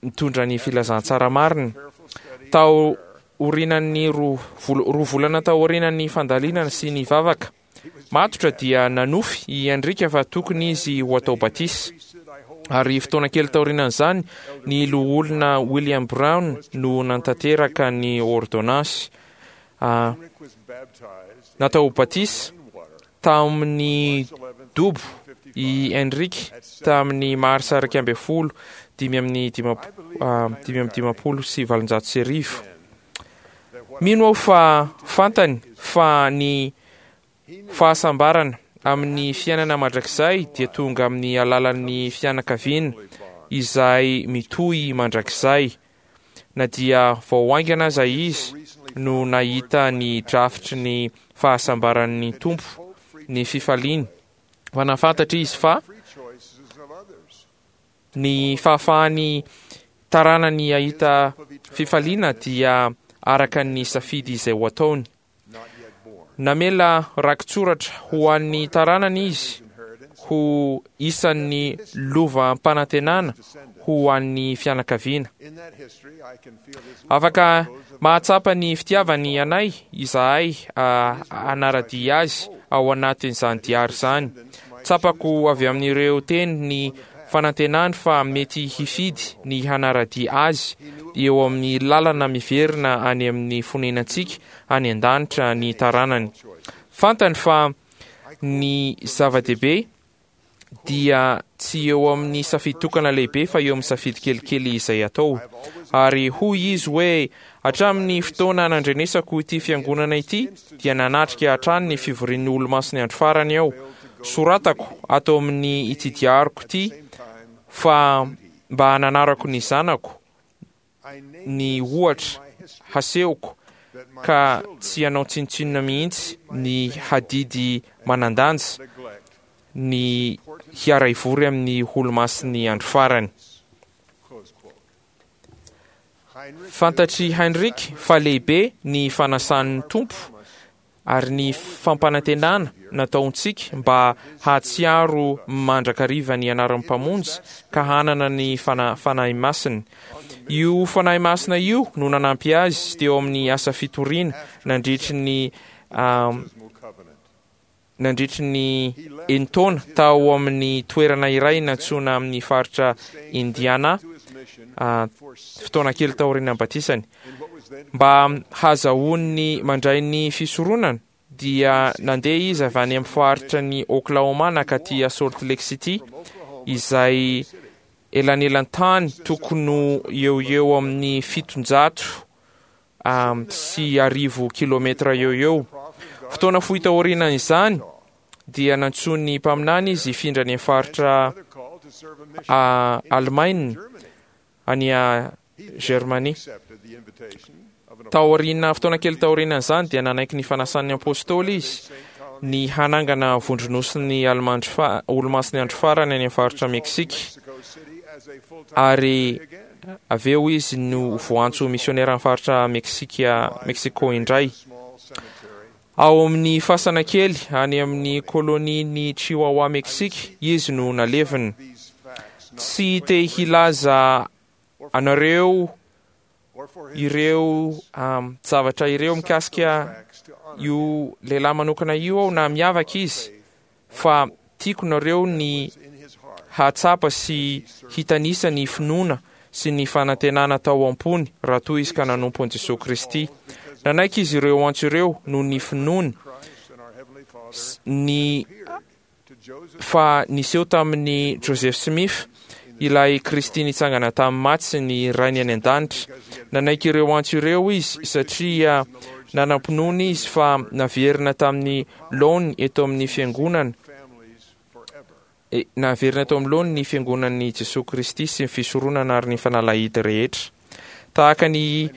mitondra ny filazantsara marina. Tao. orinan'ny roa volana taorianan'ny fandalinana sy ny vavaka matotra dia nanofy i Henrika fa tokony izy ho atao batisa. Ary fotoana kely taorianan'izany, ny loholona William Brown no nantanteraka ny ôrdônansy. Natao batisa tamin'ny dobo i Henrik tamin'ny marsa 11 1855. Mino aho fa fantany fa ny fahasambarana amin'ny fiainana mandrakizay dia tonga amin'ny alalan'ny fianakaviana izay mitohy mandrakizay. Na dia vao haingana aza izy no nahita ny drafitry ny fahasambaran'ny Tompo, ny fifaliany, fa nahafantatra izy fa ny fahafahan'ny taranany hahita fifaliana dia araka ny safidy izay ho ataony. Namela rakitsoratra ho an'ny taranany izy ho isan'ny lovam-panantenana ho an'ny fianakaviana. Afaka mahatsapa ny fitiavany anay izahay hanara-dia azy ao anatin'izany diary izany. Tsapako avy amin'ireo teny ny fanantenany fa mety hifidy ny hanara-dia azy eo amin'ny lalana miverina any amin'ny fonenantsika any an-danitra ny taranany. Fantany fa ny zava-dehibe dia tsy eo amin'ny safidy tokana lehibe fa eo amin'ny safidy kelikely izay atao. Ary hoy izy hoe, Hatramin'ny fotoana nandrenesako ity fiangonana ity dia nanatrika hatrany ny fivorian'ny Olomasin'ny Andro Farany aho. Soratako ato amin'ny ity diariko ity fa mba hananarako ny zanako ny ohatra hasehoko ka tsy hanao tsinontsinona mihitsy ny hadidy manan-danja ny hiara-hivory amin'ny Olomasin'ny Andro Farany. Fantatr'i Heinrich fa lehibe ny fanasan'ny Tompo ary ny fampanantenana nataontsika mba hahatsiaro mandrakariva ny anaran'ny Mpamonjy ka hanana ny Fanahy Masiny. Io Fanahy Masina io no nanampy azy teo amin'ny asa fitoriana nandritry ny nandritry ny enin-taona tao amin'ny toerana iray nantsoina amin'ny faritra Indiana, fotoana kely taorian'ny batisany. Mba hahazahoany mandray ny fisoronana, dia nandeha izy avy any amin'ny faritra ny Oklahoma nankaty Salt Lake City, izay elanelan-tany tokony ho eo ho eo amin'ny 700 sy 1000 kilometra eo ho eo. Fotoana fohy taorianan'izany dia nantsoin'ny mpaminany izy hifindra any amin'ny faritra Alemaina any Germanie. Taoriana fotoana kely taorianan'izany dia nanaiky ny fanasan'ny apostoly izy ny hanangana vondronosin'ny Olomasin'ny Andro Farany any amin'ny faritra Meksika ary Avy eo izy no voantso ho misioneran'ny faritra Meksika, Mexico indray. Ao amin'ny fasana kely any amin'ny kolonian'i Chihuahua, Meksika, izy no nalevina. Tsy te hilaza anareo ireo zavatra ireo mikasika io lehilahy manokana io aho na miavaka izy fa tiako nareo ny hahatsapa sy hitanisa ny finoana sy ny fanantenana tao am-pony raha toa izy ka nanompo an'i Jesoa Kristy. Nanaiky izy ireo antso ireo noho ny finoany ny fa niseho tamin'i Joseph Smith ilay Kristy nitsangana tamin'ny maty sy ny Rainy any an-danitra. Nanaiky ireo antso ireo izy satria nanam-pinoana izy fa naverina tamin'ny laoniny eto amin'ny Fiangonana, naverina eto amin'ny laoniny ny Fiangonan'i Jesoa Kristy sy ny fisoronana ary ny fanalahidy rehetra. Tahaka an'i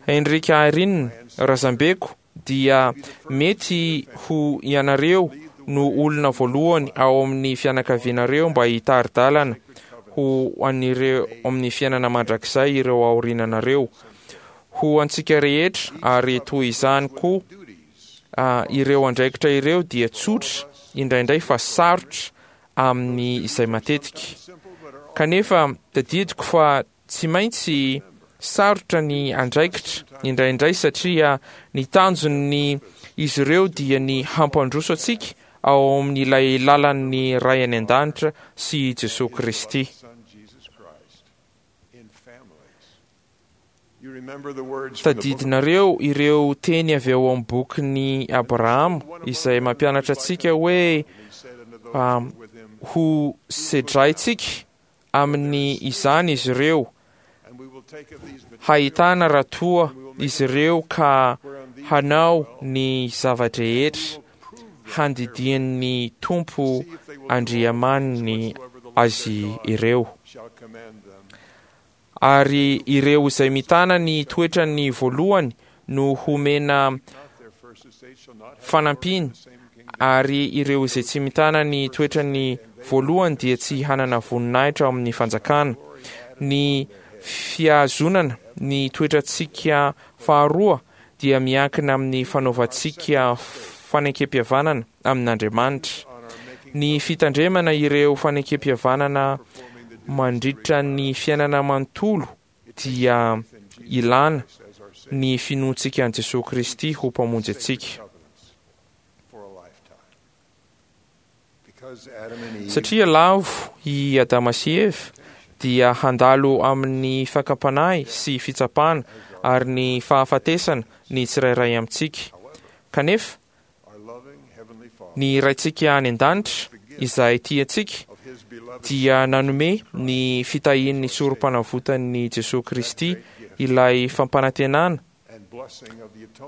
Heinrich Eyring, razambeko, dia mety ho ianareo no olona voalohany ao amin'ny fianakavianareo mba hitari-dalana ho an'ireo amin'ny fiainana mandrakizay ireo aoriananareo. Ho antsika rehetra, ary toy izany koa ireo andraikitra ireo dia tsotra indraindray fa sarotra amin'ny izay matetika. Kanefa tadidiko fa tsy maintsy. Sarotra ny andraikitra indraindray satria ny tanjon'ny izy ireo dia ny hampandroso antsika ao amin'ilay lalan'ny Ray any An-danitra sy Jesoa Kristy. Tadidinareo ireo teny avy ao amin'ny bokin'i Abrahama izay mampianatra antsika hoe ho sedraintsika amin'ny izany izy ireo, hahitana raha toa izy ireo ka hanao ny zava-drehetra handidian'ny Tompo Andriamaniny azy ireo. Ary ireo izay mitana ny toetrany voalohany no homena fanampiana, ary ireo izay tsy mitana ny toetrany voalohany dia tsy hanana voninahitra ao amin'ny fanjakana. Ny fihazonana ny toetrantsika faharoa dia miankina amin'ny fanaovantsika fanekempihavanana amin'Andriamanitra. Ny fitandremana ireo fanekempihavanana mandritra ny fiainana manontolo dia ilana ny finoantsika an'i Jesoa Kristy ho Mpamonjy antsika. Satria lavo i Adama sy Eva, dia handalo amin'ny fakam-panahy sy fitsapana ary ny fahafatesana ny tsirairay amintsika. Kanefa, Ny Raintsika any An-danitra, izay tia antsika, dia nanome ny fitahian'ny Sorompanavotan'i Jesoa Kristy ilay fampanantenana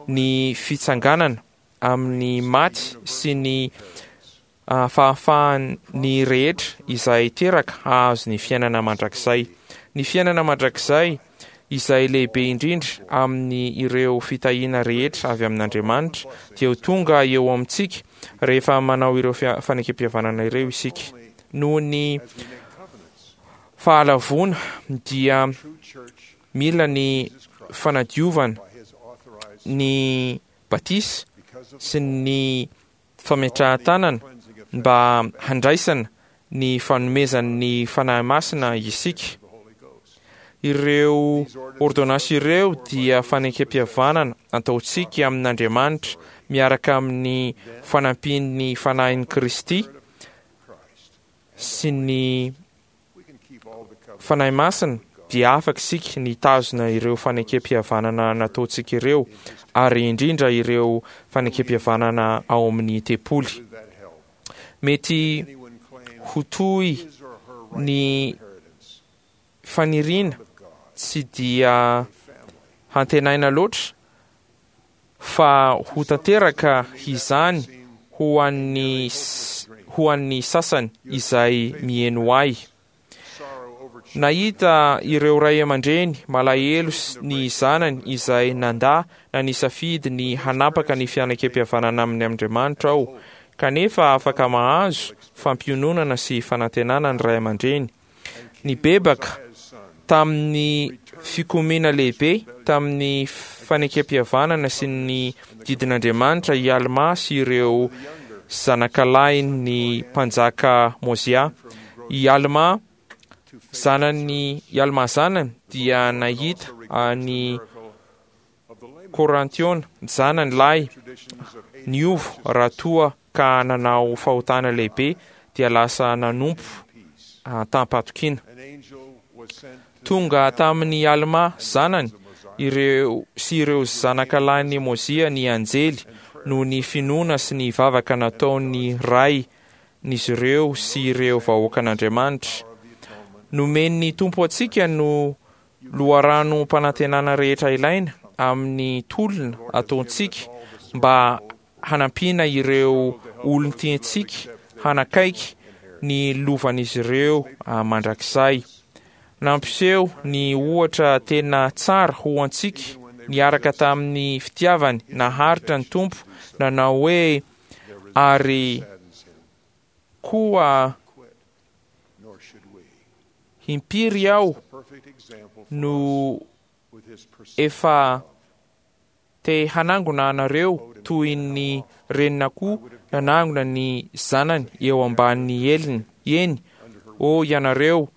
ny fitsanganana amin'ny maty sy ny fahafahan'ny rehetra izay teraka hahazo ny fiainana mandrakizay. Ny fiainana mandrakizay izay lehibe indrindra amin'ny ireo fitahiana rehetra avy amin'Andriamanitra dia ho tonga eo amintsika rehefa manao ireo fanekempihavanana ireo isika. Noho ny fahalavoana dia mila ny fanadiovana ny batisa sy ny fametrahan-tanana mba handraisana ny fanomezan'ny Fanahy Masina isika. Ireo ôrdônansy ireo dia fanekempihavanana ataontsika amin'Andriamanitra miaraka amin'ny fanampian'ny Fanahin'i Kristy sy ny Fanahy Masina dia afaka isika ny hitazona ireo fanekempihavanana nataontsika ireo, ary indrindra ireo fanekempihavanana ao amin'ny tempoly. Mety ho toy ny faniriana tsy dia hantenaina loatra fa ho tanteraka izany ho an'ny ho an'ny sasany izay miheno ahy. Nahita ireo ray aman-dreny malahelo ny zanany izay nandà na nisafidy ny hanapaka ny fianakempihavanana aminy Andriamanitra aho, kanefa afaka mahazo fampiononana sy fanantenana ny ray aman-dreny. Nibebaka tamin'ny fikomiana lehibe tamin'ny fanekempihavanana sy ny didin'Andriamanitra i Almà sy ireo zanakalahin'ny mpanjaka Môzià. I Almà zanany, i Almà zanany dia nahita an'i Kôrantiôna zanany lahy niova raha toa ka nanao fahotana lehibe dia lasa nanompo tam-pahatokiana. Tonga tamin'i Almà zanany ireo sy ireo zanakalahin'i Môzià ny anjely noho ny finoana sy ny vavaka nataon'ny rain'izy ireo sy ireo vahoakan'Andriamanitra. Nomen'ny Tompo antsika no loharanom-panantenana rehetra ilaina amin'ny tolona ataontsika mba hanampiana ireo olon-tiantsika hanakaiky ny lovan'izy ireo mandrakizay. Nampiseho ny ohatra tena tsara ho antsika niaraka tamin'ny fitiavany naharitra ny Tompo nanao hoe, Ary koa impiry aho no efa Te hanangona anareo toy ny renin'akoho nanangona ny zanany eo ambany heliny, eny, ô ianareo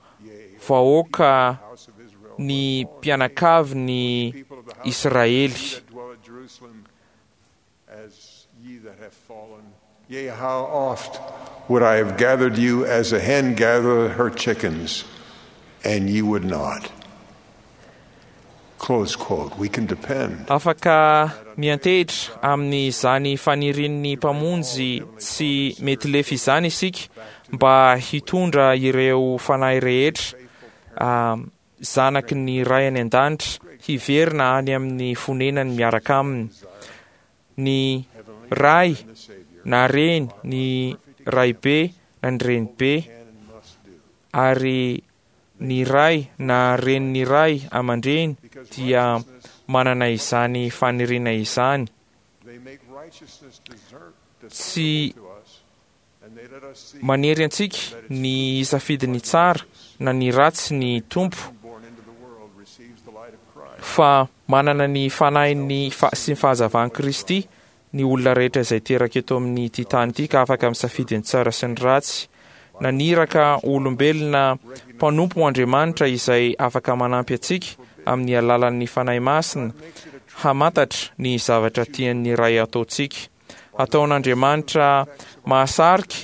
vahoaka. ny mpianakavin'ny Israely.
Yea, how oft would I have gathered you as a hen gathereth her chickens, and ye would not. Close quote. We can depend.
Afaka miantehitra amin'izany fanirian'ny Mpamonjy tsy mety lefy izany isika mba hitondra ireo fanahy rehetra zanaky ny Ray any An-danitra hiverina any amin'ny fonenany miaraka Aminy. Ny ray na reny, ny raibe na ny renibe, ary ny ray na renin'ny ray aman-dreny dia manana izany faniriana izany. Tsy manery antsika ny hisafidy ny tsara na ny ratsy ny Tompo, fa manana ny Fanahiny sy ny fahazavan'i Kristy ny olona rehetra izay teraka eto amin'ity tany ity ka afaka misafidy ny tsara sy ny ratsy. Naniraka olombelona mpanompo Andriamanitra izay afaka manampy antsika amin'ny alalan'ny Fanahy Masina hamantatra ny zavatra tian'ny Ray ataontsika. Ataon'Andriamanitra mahasarika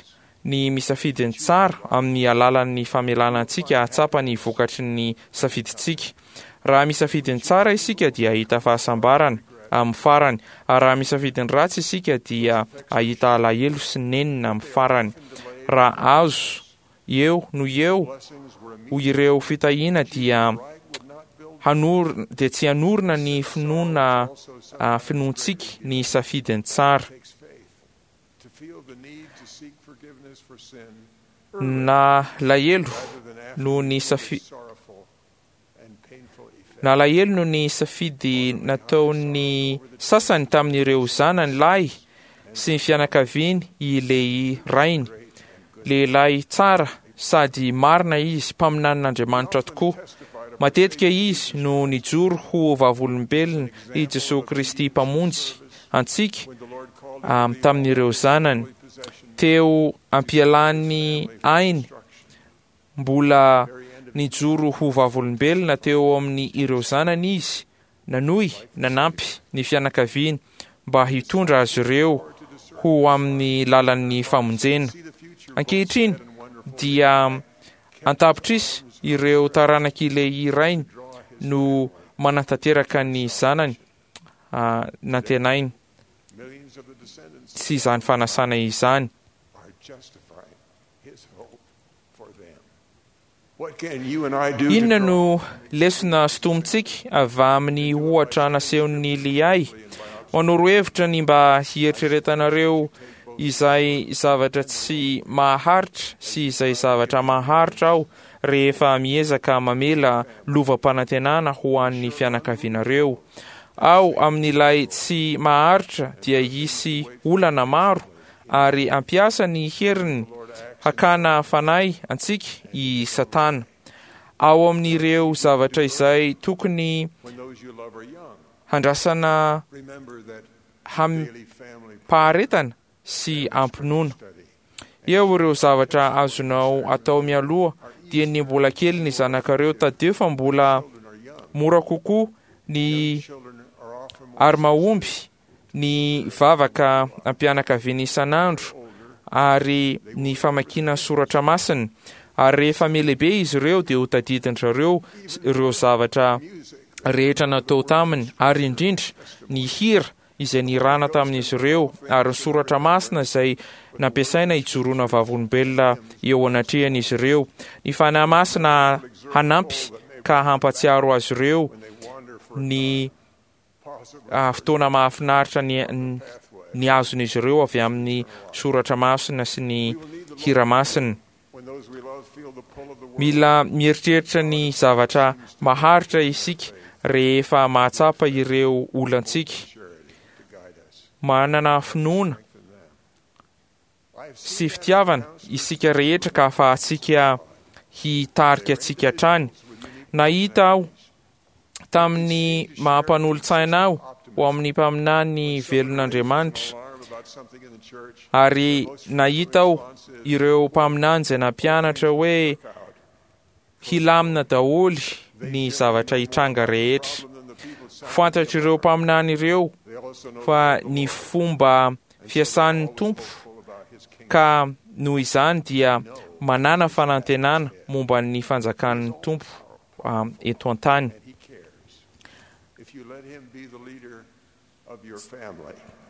ny misafidy ny tsara amin'ny alalan'ny famelana antsika hahatsapa ny vokatry ny safidintsika. Raha misafidy ny tsara isika dia hahita fahasambarana amin'ny farany, ary raha misafidy ny ratsy isika dia hahita alahelo sy nenina amin'ny farany. Raha azo eo no eo ho ireo fitahiana dia hanorina dia tsy hanorina ny finoana finoantsika ny safidy ny tsara. Nalahelo noho ny safi Nalahelo noho ny safidy nataon'ny sasany tamin'ireo zanany lahy sy ny fianakaviany i Lehia rainy. Lehilahy tsara sady marina izy, mpaminanin'Andriamanitra tokoa. Matetika izy no nijoro ho vavolombelon' i Jesoa Kristy Mpamonjy antsika tamin'ireo zanany. Teo am-pialan'ny ainy, mbola nijoro ho vavolombelona teo amin'ny ireo zanany izy, nanohy nanampy ny fianakaviany mba hitondra azy ireo ho amin'ny lalan'ny famonjena. Ankehitriny dia an-tapitrisa ireo taranak'i Lehia rainy no manatanteraka ny zanany nantenainy sy izany fanasana izany. Inona no lesona sintomintsika avy amin'ny ohatra nasehon'i Liay? Manoro hevitra ny mba hieritreretanareo izay zavatra tsy maharitra sy izay zavatra maharitra aho rehefa miezaka mamela lovam-panantenana ho an'ny fianakavianareo. Ao amin'ilay tsy maharitra dia hisy olana maro ary hampiasa ny heriny hakana fanahy antsika i Satana. Ao amin'ireo zavatra izay tokony handrasana amim-paharetana sy am-pinoana. Eo ireo zavatra azonao atao mialoha dieny mbola kely ny zanakareo. Tadidio fa mbola mora kokoa ny ary mahomby ny vavaka am-pianakaviana isan'andro ary ny famakiana ny soratra masina. Ary rehefa mihalehibe izy ireo dia ho tadidin-dry zareo ireo zavatra rehetra natao taminy ary indrindra ny hira izay nirana tamin'izy ireo ary ny soratra masina izay nampiasaina hijoroana vavolombelona eo anatrehan'izy ireo. Ny Fanahy Masina hanampy ka hampatsiaro azy ireo ny fotoana mahafinaritra ny ny azon'izy ireo avy amin'ny soratra masina sy ny hira masina. Mila mieritreritra ny zavatra maharitra isika rehefa mahatsapa ireo olantsika. Manana finoana sy fitiavana isika rehetra ka ahafahantsika hitarika antsika hatrany. Nahita aho tamin'ny maha-mpanolotsaina ahy ho amin'ny mpaminany velon'Andriamanitra, ary nahita aho ireo mpaminany izay nampianatra hoe hilamina daholo. ny zavatra hitranga rehetra. Fantatr'ireo mpaminany ireo fa ny fomba fiasan'ny Tompo ka noho izany dia manàna fanantenana momba ny fanjakan'ny Tompo eto an-tany.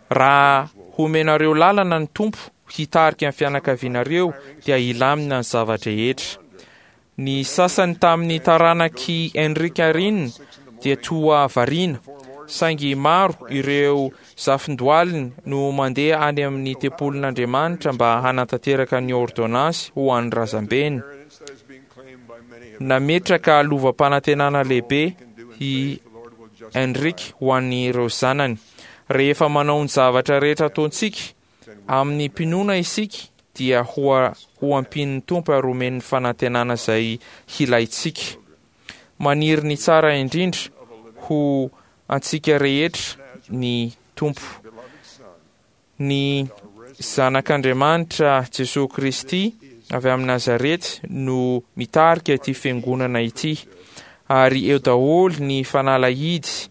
Raha homenareo lalana ny Tompo hitarika ny fianakavianareo dia hilamina ny zava-drehetra. Ny sasany tamin'ny taranak'i Henrik Arryn dia toa variana, saingy maro ireo zafindohaliny no mandeha any amin'ny tempolin'Andriamanitra mba hanatanteraka ny ôrdônansy ho an'ny razambeny. Nametraka lovam-panantenana lehibe i Henrik ho an'ireo zanany. Rehefa manao ny zavatra rehetra ataontsika amin'ny mpinoana isika dia ho ho ampian'ny Tompo ary homeny ny fanantenana izay hilaintsika. Maniry ny tsara indrindra ho antsika rehetra ny Tompo. Ny Zanak'Andriamanitra Jesoa Kristy avy amin'i Nazarety no mitarika ity fiangonana ity, ary eo daholo ny fanalahidy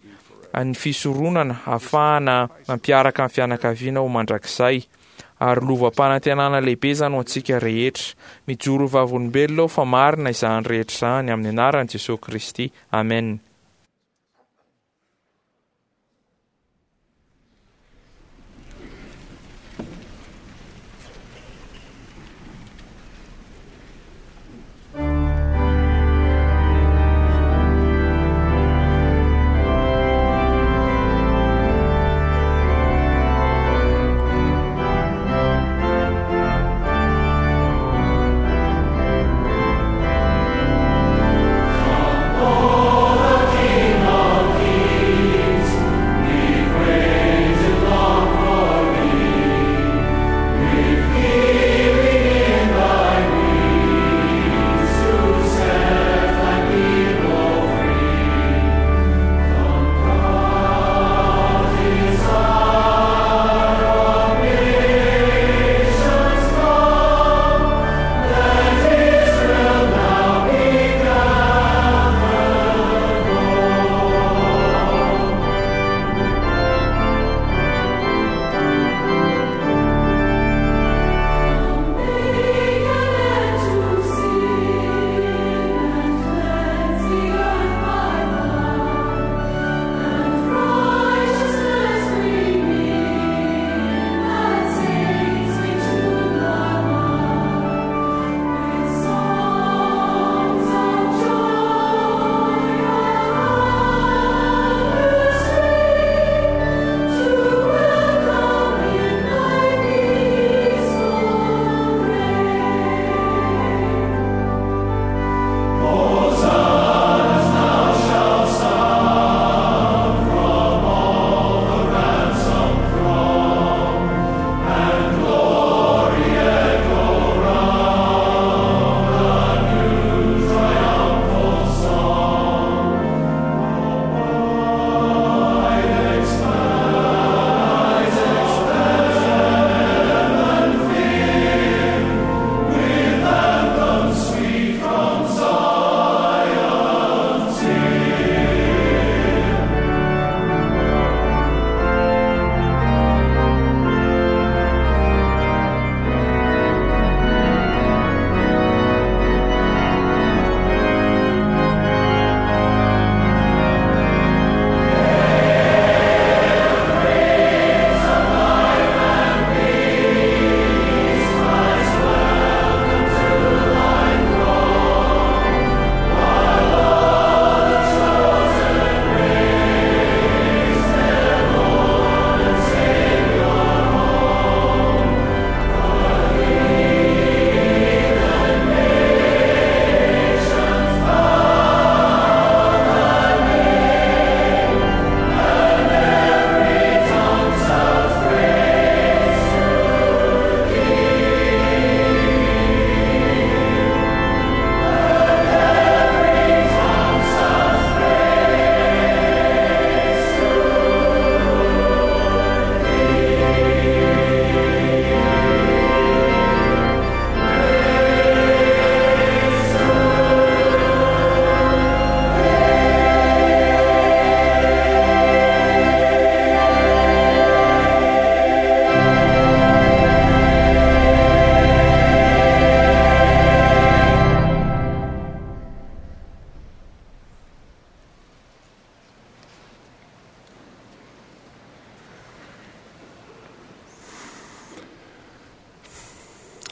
ny fisoronana hahafahana mampiaraka ny fianakaviana ho mandrakizay, ary lovam-panantenana lehibe izany ho antsika rehetra. Mijoro ho vavolombelona aho fa marina izany rehetra izany, amin'ny anaran'i Jesoa Kristy. Amen.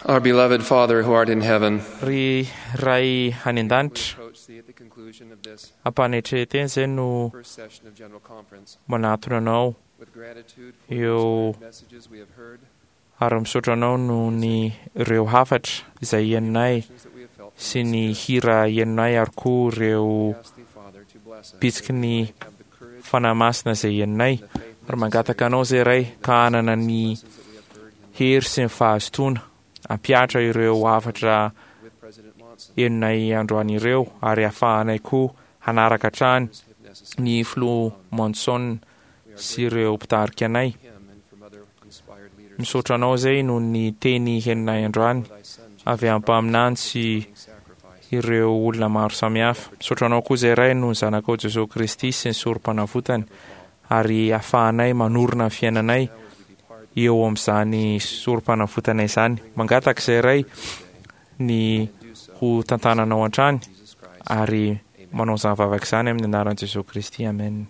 Our beloved Father who art in heaven,
Ry Ray any an-danitra, ampanetren-tena izay no manatona anao eo ary misaotra anao noho ny ireo hafatra izay henonay sy ny hira henonay ary koa ireo bitsiky ny Fanahy Masina izay henonay, ary mangataka anao izay Ray ka hanana ny hery sy ny fahazotoana hampihatra ireo hafatra henonay androany ireo ary hahafahanay koa hanaraka hatrany ny Filoha Monson sy ireo mpitarika anay. Misaotra anao izay noho ny teny henonay androany avy amin'ny mpaminany sy ireo olona maro samihafa. Misaotra anao koa izay Ray noho ny Zanakao Jesoa Kristy sy ny Sorompanavotany ary ahafahanay manorina ny fiainanay eo amin'izany Sorompanavotana izany. Mangataka izay Ray ny ho tantananao hatrany ary manao izany vavaka izany amin'ny anaran'i Jesoa Kristy. Amen.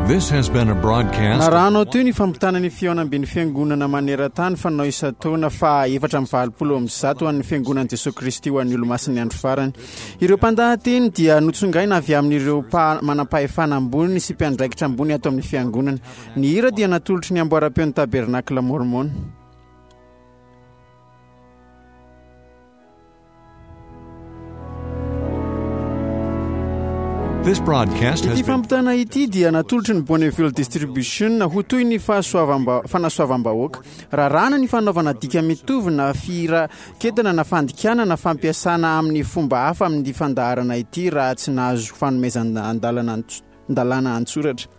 This has been a broadcast.
Narahanao teo ny fampitana ny fihaonamben'ny fiangonana maneran-tany fanao isan-taona faha 184 ho an'ny fiangonan'i Jesoa Kristy ho an'ny Olomasin'ny Andro Farany. Ireo mpandahateny dia notsongaina avy amin'ireo manam-pahefana ambony sy mpiandraikitra ambony ato amin'ny fiangonana. Ny hira dia natolotry ny amboaram-peon'ny Tabernakla Mormon.
This broadcast has
Ity
been
fampitana ity dia natolotry ny Bonneville Distribution ho toy ny fanasoavam-bahoaka. Raràna ny fanaovana dika mitovy na firaketana na fandikana na fampiasana amin'ny fomba hafa amin'ity fandaharana ity raha tsy nahazo fanomezan-dalana an-tsoratra.